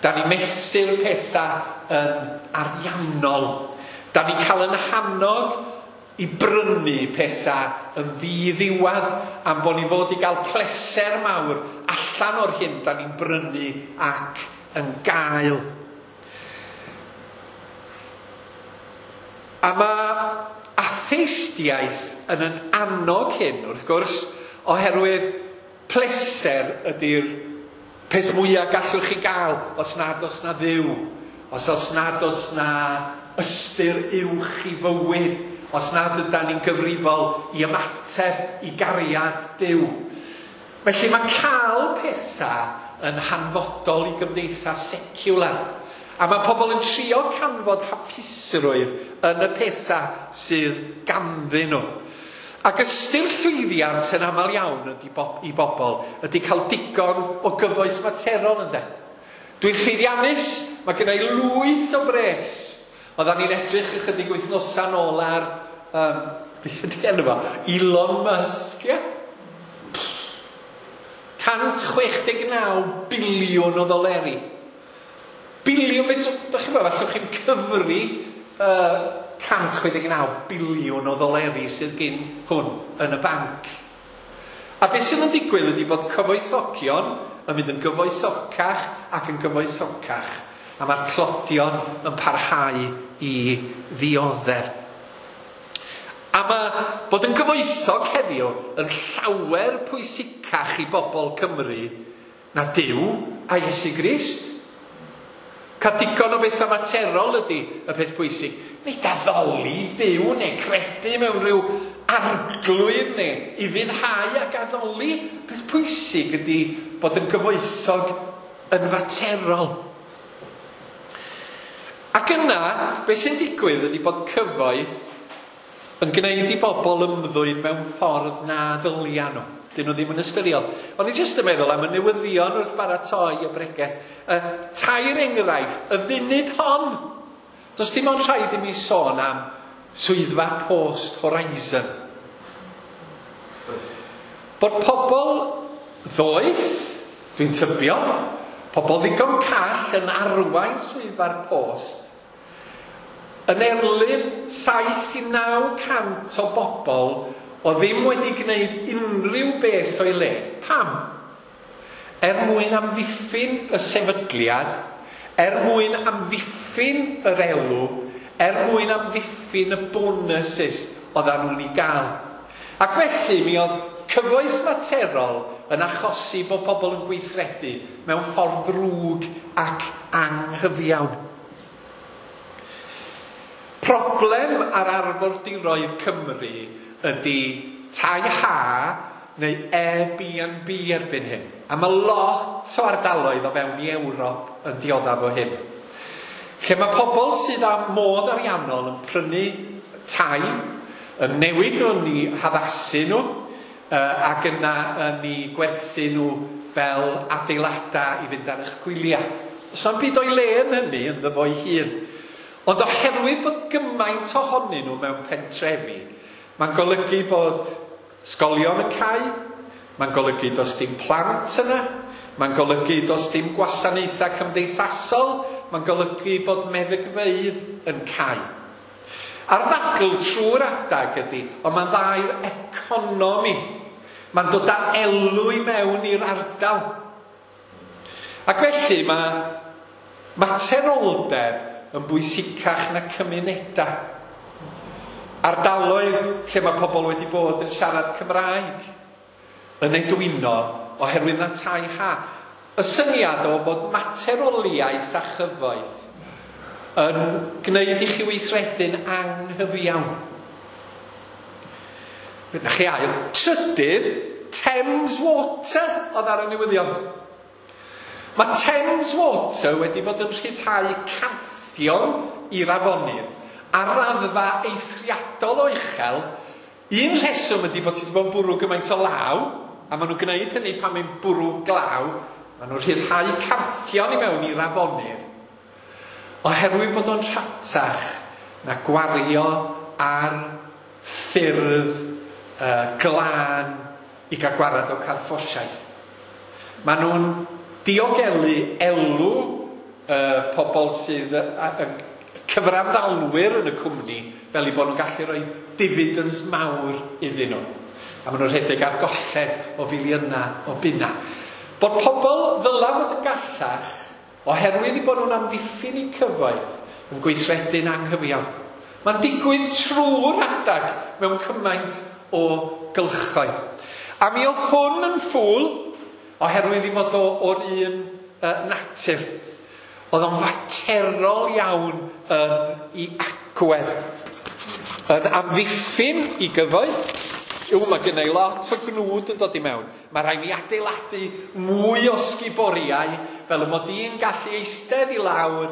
Da ni mesur pethau yn ariannol. Da ni cael yn hannog i brynu pethau yn ddiddiwedd am bod ni fod i gael pleser mawr allan o'r hyn da ni'n brynu ac yn gael. A mae atheistiaeth yn annog hyn, wrth gwrs, oherwydd pleser ydy'r peth mwyaf gallwch chi gael os nad oes na Dduw, os nad oes na ystyr uwch i fywyd, os nad ydan ni'n gyfrifol i ymateb i gariad Duw. Felly mae cael pethau yn hanfodol i gymdeithas seciwlar. A mae pobl yn trio canfod hapusrwydd yn y pethau sydd ganddyn nhw. Ac ystyr llwyddiant yn aml iawn ydy i bobl ydy cael digon o gyfoeth materol, ynde. Dwi'n llwyddiannus, mae gen i lwyth o bres. Oeddan ni'n edrych ychydig wythnosau nôl ar, beth ydy enw fo? Elon Musk, ie? 169 biliwn o ddoleri. Biliwn, beth, dach chi'n meddwl, allwch chi'n cyfri 169 biliwn o ddoleri sydd gyn hwn yn y banc. A beth sydd yn digwydd ydy bod cyfoethogion yn mynd yn gyfoethocach ac yn gyfoethocach, a mae'r tlodion yn parhau i ddioddef. A mae bod yn gyfoethog heddiw yn llawer pwysicach i bobl Cymru na Duw a Iesu Grist. Cael digon o bethau materol ydy y peth pwysig. Nid addoli Duw neu credu mewn rhyw arglwydd neu ufuddhau ac addoli. Peth pwysig ydy bod yn gyfoethog yn faterol. Ac yna, beth sy'n digwydd ydy bod cyfoeth yn gwneud i bobl ymddwyn mewn ffordd na ddylia nhw. Dyn nhw ddim yn ystyriol. O'n i jyst yn meddwl am y newyddion wrth baratoi y bregeth. Tair enghraifft, y funud hon. Does dim ond rhaid i mi sôn am swyddfa post Horizon. Bod pobl ddoeth, dwi'n tybio, pobl ddigon call yn arwain swyddfa'r post, yn erlyn 7 i 900 o bobl o ddim wedi gwneud unrhyw beth o'i le. Pam? Er mwyn amddiffyn y sefydliad, er mwyn amddiffyn yr elw, er mwyn amddiffyn y bonuses oeddan nhw'n ei gael. Ac felly mi oedd cyfoeth materol yn achosi bod pobl yn gweithredu mewn ffordd ddrwg ac anghyfiawn. Problem ar arfordiroedd Cymru ydy tai ha neu Airbnb erbyn hyn. A mae lot o ardaloedd o fewn i Ewrop yn dioddef o hyn. Lle mae pobl sydd â modd ariannol yn prynu tai, yn newid nhw, yn eu haddasu nhw, ac yna yn eu gwerthu nhw fel adeiladau i fynd ar eich gwyliau. Does na'm byd o'i le yn hynny ynddo fo'i hun. Ond oherwydd bod gymaint ohonyn nhw mewn pentrefi, mae'n golygu bod ysgolion yn cau, mae'n golygu does dim plant yna, mae'n golygu does dim gwasanaethau cymdeithasol, mae'n golygu bod meddygfeydd yn cau. A'r ddadl trwy'r adag ydy, ond mae'n dda i'r economi. Mae'n dod â elw i mewn i'r ardal. Ac felly mae materoldeb yn bwysicach na cymunedau. Ardaloedd lle mae pobl wedi bod yn siarad Cymraeg yn edwino oherwydd na tai ha. Y syniad o fod materoliaeth a chyfoeth yn gwneud i chi weithredu'n anghyfiawn. Na chi ail. Trydydd, Thames Water oedd ar y newyddion. Mae Thames Water wedi bod yn rhyddhau carthion i'r afonydd ar raddfa eithriadol o uchel. Un rheswm ydy bod ti wedi bod yn bwrw gymaint o law, a maen nhw'n gwneud hynny pan mae'n bwrw glaw, maen nhw'n rhyddhau carthion i mewn i'r afonydd, oherwydd bod o'n rhatach na gwario ar ffyrdd glân i gael gwarad o carffosiaeth. Maen nhw'n diogelu elw pobl sydd cyfranddalwyr yn y cwmni fel eu bod nhw'n gallu rhoi dividends mawr iddyn nhw. A maen nhw'n rhedeg ar golled o filiynau o bunna. Bod pobl ddyla fod yn gallach oherwydd eu bod nhw'n amddiffyn eu cyfoeth yn gweithredu'n anghyfiawn. Mae'n digwydd trwy'r adag mewn cymaint o gylchoedd. A mi oedd hwn yn ffŵl oherwydd i fod o o'r un natur. Oedd o'n faterol iawn yn ei agwedd. Yn amddiffyn i gyfoeth. Mae gynna i lot o gnwd yn dod i mewn. Mae rhaid mi adeiladu mwy o sguboriau fel y mod i'n gallu eistedd i lawr,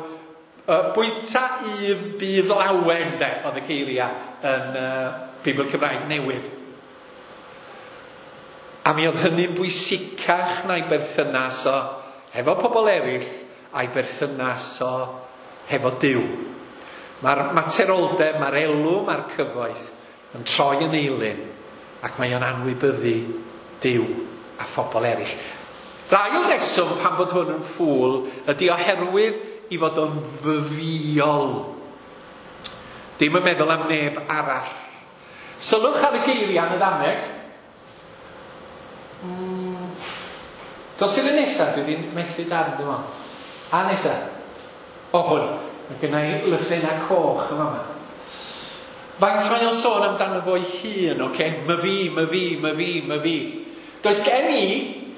bwyta if bydd lawen, de, oedd y geiriau yn Beibl Cymraeg Newydd. A mi oedd hynny'n bwysicach na'i berthynas o hefo pobl eraill a'i berthynas o hefo Duw. Mae'r materoldeb, mae'r elw, mae'r cyfoeth yn troi yn eilun ac mae o'n anwybyddu Duw a phobl eraill. Rai o'r reswm pan bod hwn yn ffŵl ydy oherwydd i fod o'n fyfiol. Dim yn meddwl am neb arall. Sylwch ar y geiriau yn y ddameg. Dos i'r nesaf, dwi wedi methu darn, dwi'n meddwl. A nesaf. O, hwn. Mae gen i lythrennau coch yma. Faint mae o'n sôn amdano fo'i hun, oce? My fi, my fi, my fi, my fi. Does gen i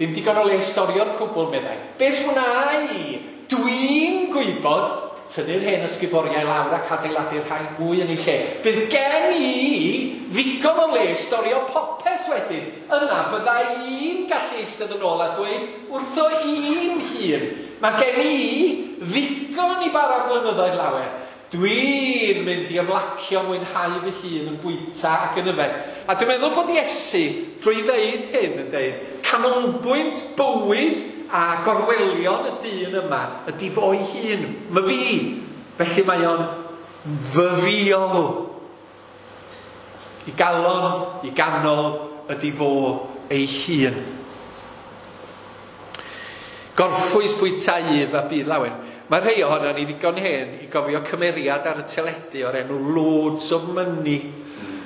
ddim digon o le i storio'r cwbl, meddai. Beth wna i? Dwi'n gwybod tynnu'r hen ysguboriau lawr ac adeiladu'r rhai mwy yn ei lle. Bydd gen i ddigon o le i storio popeth wedyn. Yna bydda i'n gallu eistedd yn ôl a dweud wrtho i'n hun. Mae gen i ddigon i bara blynyddoedd lawer. Dwi'n mynd i ymlacio mwynhau fy hun yn bwyta ac yn yfed. A dwi'n meddwl bod Iesu, drwy ddeud hyn, yn deud, canolbwynt bywyd a gorwelion y dyn yma ydy fo'i hun, my fi. Felly mae o'n fyfiol. I galon, i ganol ydy fo ei hun. Gorffwys bwyta if a bydd lawen. Mae rhai ohono ni ddigon hen i gofio cymeriad ar y teledu o'r enw Loads of Money.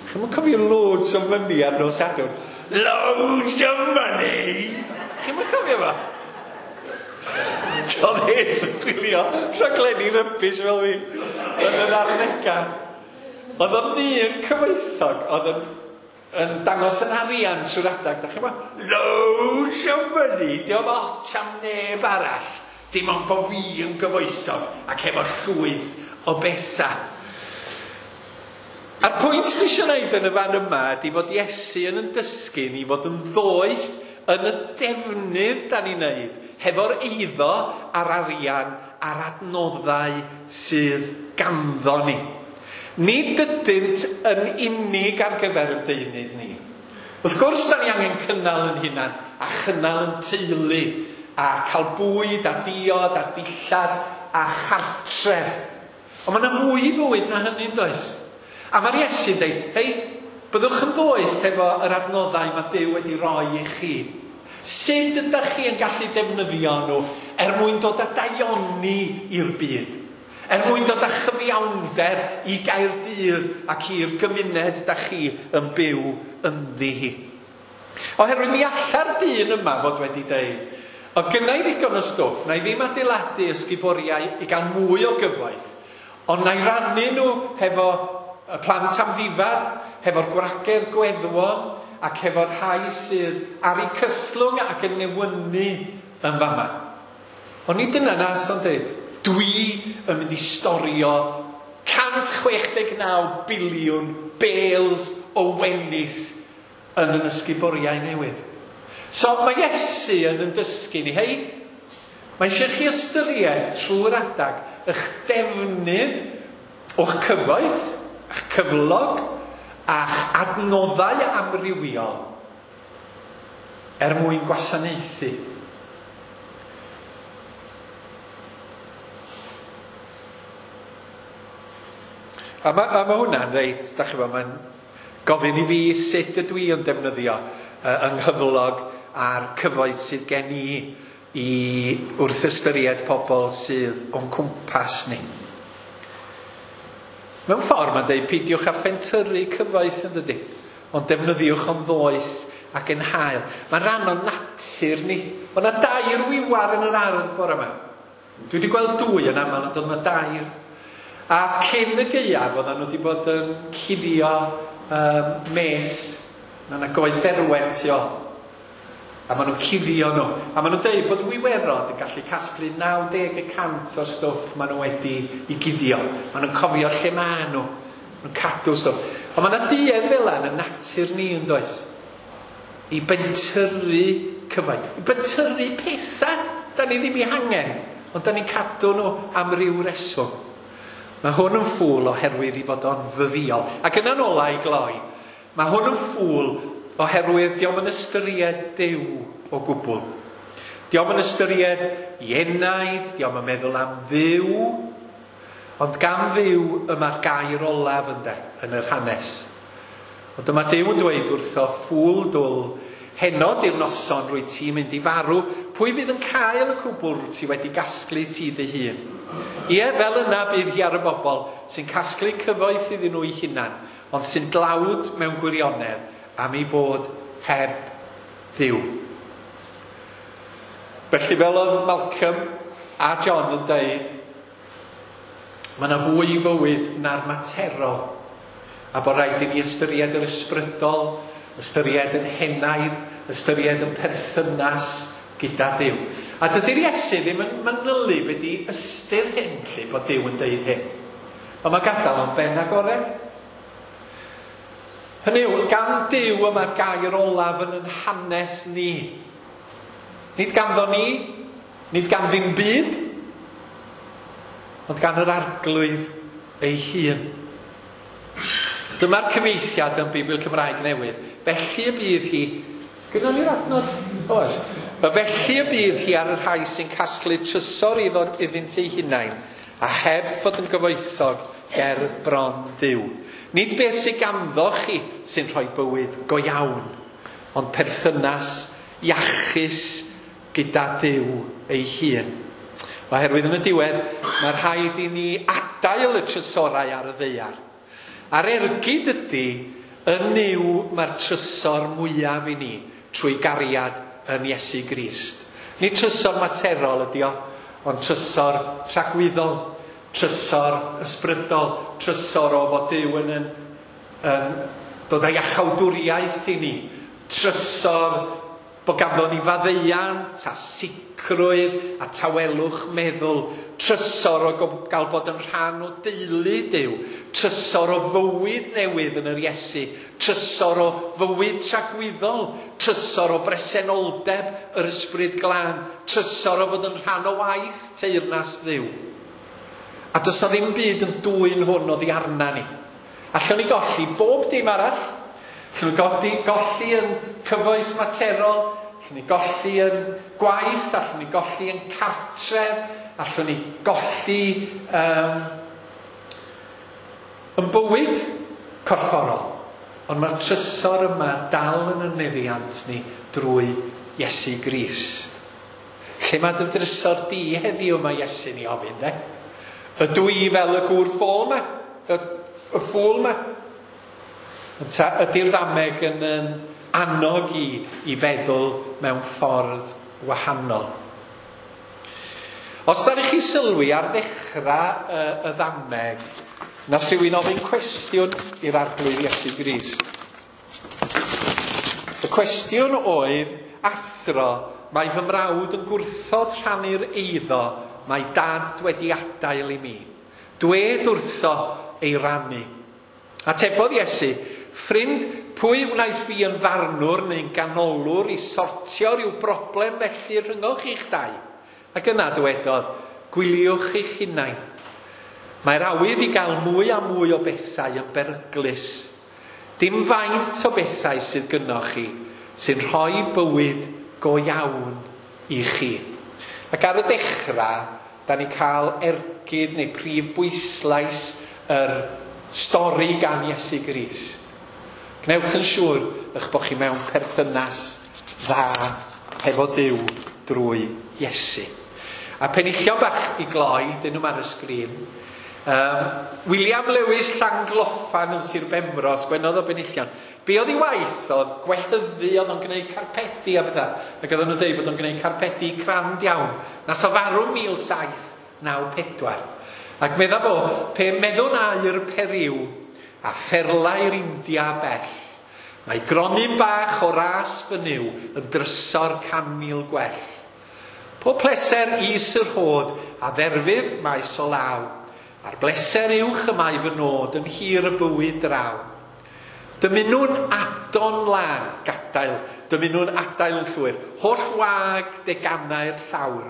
Chi'm yn cofio Loads of Money ar nos Sadwrn? Loads of Money! Chi'm yn cofio fo? John Hayes yn gwylio rhaglenni rubbish fel fi yn yr arddegau. Oedd o'n ddyn cyfoethog, oedd yn dangos yn arian trwy'r adag. Da chi'n meddwl, Loads of Money, diolch ots am neb arall. Dim ond bo fi yn gyfoethog ac efo llwyth o bethau. A'r pwynt dwi eisiau gwneud yn y fan yma ydy fod Iesu yn dysgu ni fod yn ddoeth yn y defnydd da ni'n neud, hefo'r eiddo a'r arian a'r adnoddau sydd ganddo ni. Nid ydynt yn unig ar gyfer y deunydd ni. Wrth gwrs, da ni angen cynnal yn hunan a chynnal yn teulu a cael bwyd a diod a dillad a chartref. Ond mae yna fwy i fywyd na hynny, does? A mae'r Iesu'n dweud, hei, byddwch yn ddoeth efo yr adnoddau mae Duw wedi roi i chi. Sut ydych chi yn gallu defnyddio nhw er mwyn dod â daioni i'r byd? Er mwyn dod â chyfiawnder i Gaerdydd ac i'r gymuned da chi yn byw ynddi hi. Oherwydd mi alla'r dyn yma fod wedi deud, o gynna i ddigon o stwff, na i ddim adeiladu ysguboriau i gael mwy o gyfoeth, ond na i rannu nhw hefo y plant amddifad, hefo'r gwragedd gweddwon, ac hefo'r rhai sydd ar eu cyslwng ac yn newynu yn fama. Ond nid dyna nas o'n dweud. Dwi yn mynd i storio 169 biliwn bales o wenith yn yn ysguboriau newydd. So mae Iesu yn dysgu ni, hei, mae eisiau chi ystyried trwy'r adag eich defnydd o'ch cyfoeth, eich cyflog, a'ch adnoddau amrywiol er mwyn gwasanaethu. A mae ma hwnna'n reit, da chi mae'n gofyn i fi sut ydw i yn defnyddio yng nghyflog a'r cyfoeth sydd gen i i wrth ystyried pobl sydd o'n cwmpas ni. Mewn ffordd mae'n dweud peidiwch â phentyrru cyfoeth yn dydi, ond defnyddiwch o'n ddoeth ac yn hael. Mae'n rhan o'n natur ni. Mae yna dair wiwar yn yr ardd bore yma. Dwi wedi gweld dwy yn aml, ond oedd yna dair. A cyn y gaeaf, oedden nhw wedi bod yn cuddio mes. Mae yna goed dderwen tu ôl. A maen nhw'n cuddio nhw. A maen nhw'n dweud bod wiwerod yn gallu casglu 90% o'r stwff maen nhw wedi i guddio. Maen nhw'n cofio lle maen nhw. Maen nhw'n cadw stwff. Ond mae yna duedd fel yna yn y natur ni yn does. I bentyrru cyfoeth. I bentyrru pethau da ni ddim i hangen. Ond da ni'n cadw nhw am ryw reswm. Mae hwn yn ffŵl oherwydd i fod o'n fyfïol. Ac yna'n ola i gloi, mae hwn yn ffŵl oherwydd dio'm yn ystyried Duw o gwbl. Dio'm yn ystyried i enaid, dio'm yn meddwl am Dduw, ond gan Dduw y mae'r gair olaf ynde, yn yr hanes. Ond dyma Duw yn dweud wrtho, ffŵl dwl, heno di'r noson rwy ti'n mynd i farw, pwy fydd yn cael y cwbl rwy ti wedi gasglu ti dy hun? Ie, fel yna bydd hi ar y bobl sy'n casglu cyfoeth iddyn nhw eu hunan, ond sy'n dlawd mewn gwirionedd am ei bod heb Dduw. Felly fel oedd Malcolm a John yn dweud, mae yna fwy i fywyd na'r materol, a bod rhaid i ni ystyried yr ysbrydol, ystyried yn henaid, ystyried yn perthynas gyda Duw. A dydy'r Iesu ddim yn manylu be di ystyr hyn, lle bod Duw yn deud hyn. Ond mae gadael o'n ben agored. Hynny yw, gan Duw y mae'r gair olaf yn yn hanes ni. Nid ganddo ni, nid gan ddim byd, ond gan yr Arglwydd ei hun. Dyma'r cyfieithiad yn Beibl Cymraeg Newydd. Felly y bydd hi... Sgynnon ni'r adnod? Oes. Felly y bydd hi ar y rhai sy'n casglu trysor iddynt eu hunain, a heb fod yn gyfoethog ger bron Dduw. Nid beth sydd ganddo chi sy'n rhoi bywyd go iawn, ond perthynas iachus gyda Duw ei hun. Oherwydd yn y diwedd, mae rhaid i ni adael y trysorau ar y ddaear. A'r ergyd ydy, yn Nuw mae'r trysor mwyaf i ni trwy gariad yn Iesu Grist. Nid trysor materol ydy o, ond trysor tragwyddol, trysor ysbrydol, trysor o fod Duw yn dod â iachawdwriaeth i ni, trysor bod ganddo ni faddeuant a sicrwydd a tawelwch meddwl, trysor o gael bod yn rhan o deulu Duw, trysor o fywyd newydd yn yr Iesu, trysor o fywyd tragwyddol, trysor o bresenoldeb yr Ysbryd Glân, trysor o fod yn rhan o waith teyrnas Dduw. A does na ddim byd yn dwyn hwn oddi arna ni. Allwn ni golli bob dim arall. Allwn ni golli yn cyfoeth materol, allwn ni golli yn gwaith, allwn ni golli yn cartref, allwn ni golli yn bywyd corfforol. Ond mae'r trysor yma dal yn y meddiant ni drwy Iesu Grist. Lle mae dy drysor di heddiw mae Iesu'n ei ofyn, de? Ydw i fel y gŵr ffôl yma? Y ffŵl yma? Ydy'r ddameg yn annog i feddwl mewn ffordd wahanol? Os da chi sylwi ar ddechrau y ddameg, nath rhywun ofyn cwestiwn i'r Arglwydd Iesu Grist. Y cwestiwn oedd, athro, mae fy mrawd yn gwrthod rhannu'r eiddo mae dad wedi adael i mi. Dwed wrtho ei rannu. Atebodd Iesu, ffrind, pwy wnaeth fi yn farnwr neu'n ganolwr i sortio rhyw broblem felly rhyngoch chi'ch dau? Ac yna dywedodd, gwyliwch eich hunain. Mae'r awydd i gael mwy a mwy o bethau yn beryglus. Dim faint o bethau sydd gynnoch chi sy'n rhoi bywyd go iawn i chi. Ac ar y dechrau, da ni cael ergyd neu prif bwyslais yr stori gan Iesu Grist. Gwnewch yn siŵr eich bod chi mewn perthynas dda hefo Duw drwy Iesu. A penillion bach i gloi, dyn nhw ar y sgrin. William Lewis Llangloffan yn Sir Benfro, sgwennodd o benillion. Be oedd ei waith oedd gwehyddu, oedd o'n gwneud carpedi a bethau. Ac oedden nhw'n dweud bod o'n gwneud carpedi crand iawn. Nath o farw 1794. Ac medda fo, pe meddwn aur Periw a pherlau'r India bell, mae gronyn bach o ras fy Nuw yn drysor 100,000 gwell. Pob pleser is yr hod a dderfydd maes o law, a'r bleser uwch y mae fy nod yn hir y bywyd draw. Dymunwn adon lân gadael, dymunwn adael yn llwyr, holl wag deganau'r llawr,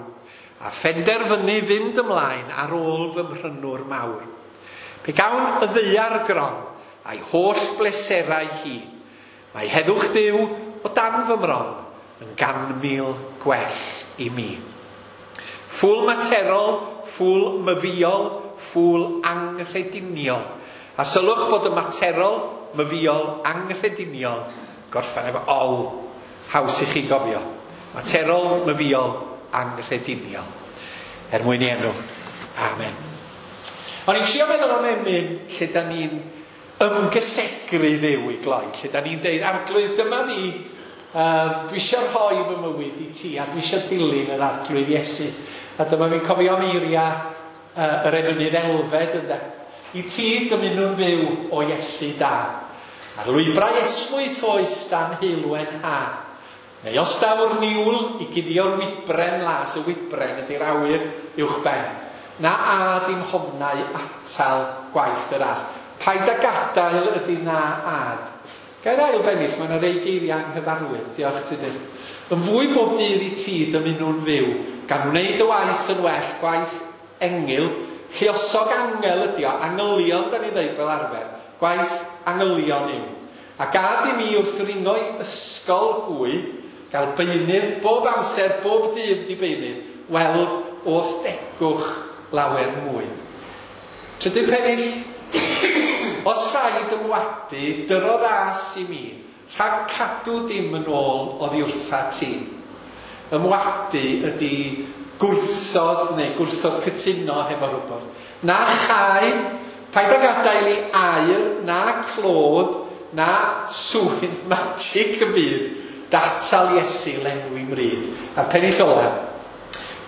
a phenderfynu fynd ymlaen ar ôl fy mhrynwr mawr. Pe gawn y ddaear gron a'i holl bleserau hi, mae heddwch Duw o dan fy mron yn 100,000 gwell i mi. Ffŵl materol, ffŵl myfiol, ffŵl anghrediniol. A sylwch bod y materol, myfiol, anghrediniol, gorffen efo ol, haws i chi gofio. Materol, myfiol, anghrediniol. Er mwyn i enw. Amen. O'n i'n trio meddwl am emyn lle da ni'n ymgysegru Dduw i gloi, lle da ni'n deud, Arglwydd, dyma fi, dwi eisiau rhoi fy mywyd i ti, a dwi eisiau dilyn yr Arglwydd Iesu. A dyma fi'n cofio am eiriau yr emynydd Elfed, ynde. I ti dymunwn fyw o Iesu da. Ar lwybrau esmwyth oes dan heulwen ha. Neu os daw'r niwl i guddio'r wybren las, y wybren ydy'r awyr uwchben. Na a dim hofnau atal gwaith dy ras. Paid â gadael ydy na ad. Gair ail bennill, mae yna rei geiriau anghyfarwydd. Diolch Tudur. Yn fwy bob dydd i ti dymunwn fyw, gan wneud y waith yn well, gwaith engyl, lluosog angel ydi o, angylion da ni ddeud fel arfer, gwaith angylion yw. A gad i mi wrth ringo i ysgol hwy, gael beunydd bob amser, bob dydd di beunydd, weld o'th degwch lawer mwy. Trydydd pennill, os rhaid ymwadu, dyro ras i mi, rhag cadw dim yn ôl oddi wrtha ti. Ymwadu ydy gwrthod neu gwrthod cytuno hefo rhywbeth. Na chaed, paid â gadael i aur, na clod, na swyn magic y byd, datal Iesu lenwi mryd. A'r pennill ola,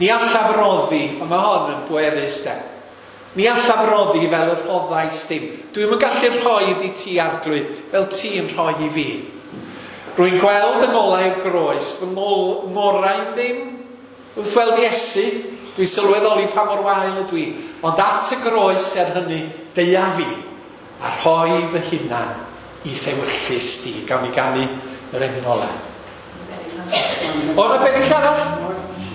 ni allaf roddi, a mae hon yn bwerus de. Ni allaf roddi fel y rhoddais dim. Dwi'm yn gallu rhoi i ti, Arglwydd, fel ti'n rhoi i fi. Rwy'n gweld yng ngolau'r groes, fy ngorau ddim. Wrth weld Iesu, dwi'n sylweddoli pa mor wael ydw i, ond at y groes er hynny, deia fi, a rhoi fy hunan i thewyllys di. Gawn ni ganu yr emyn ola. O, na bennill arall?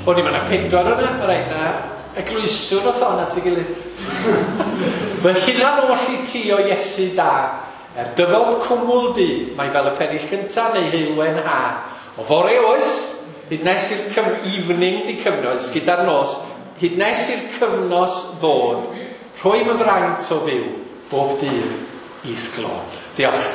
O, ni, mae yna 4 yna, mae rhaid na eglwyswr oedd hon at ei gilydd. Fy hunan oll i ti o Iesu da, dyfod cwmwl du, mae fel y pennill cyntaf neu heulwen ha. O fore oes, hyd nes i'r evening di cyfnos, gyda'r nos, hyd nes i'r cyfnos ddod, rhoi fy fraint o fyw, bob dydd i'th glod. Diolch.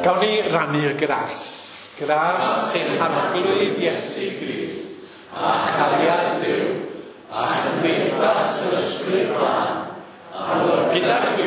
Gawn ni rannu'r gras. Gras sy'n Arglwydd Iesu Grist, a chariad Duw, a chymdeithas yr Ysbryd Glân, a gyda chwi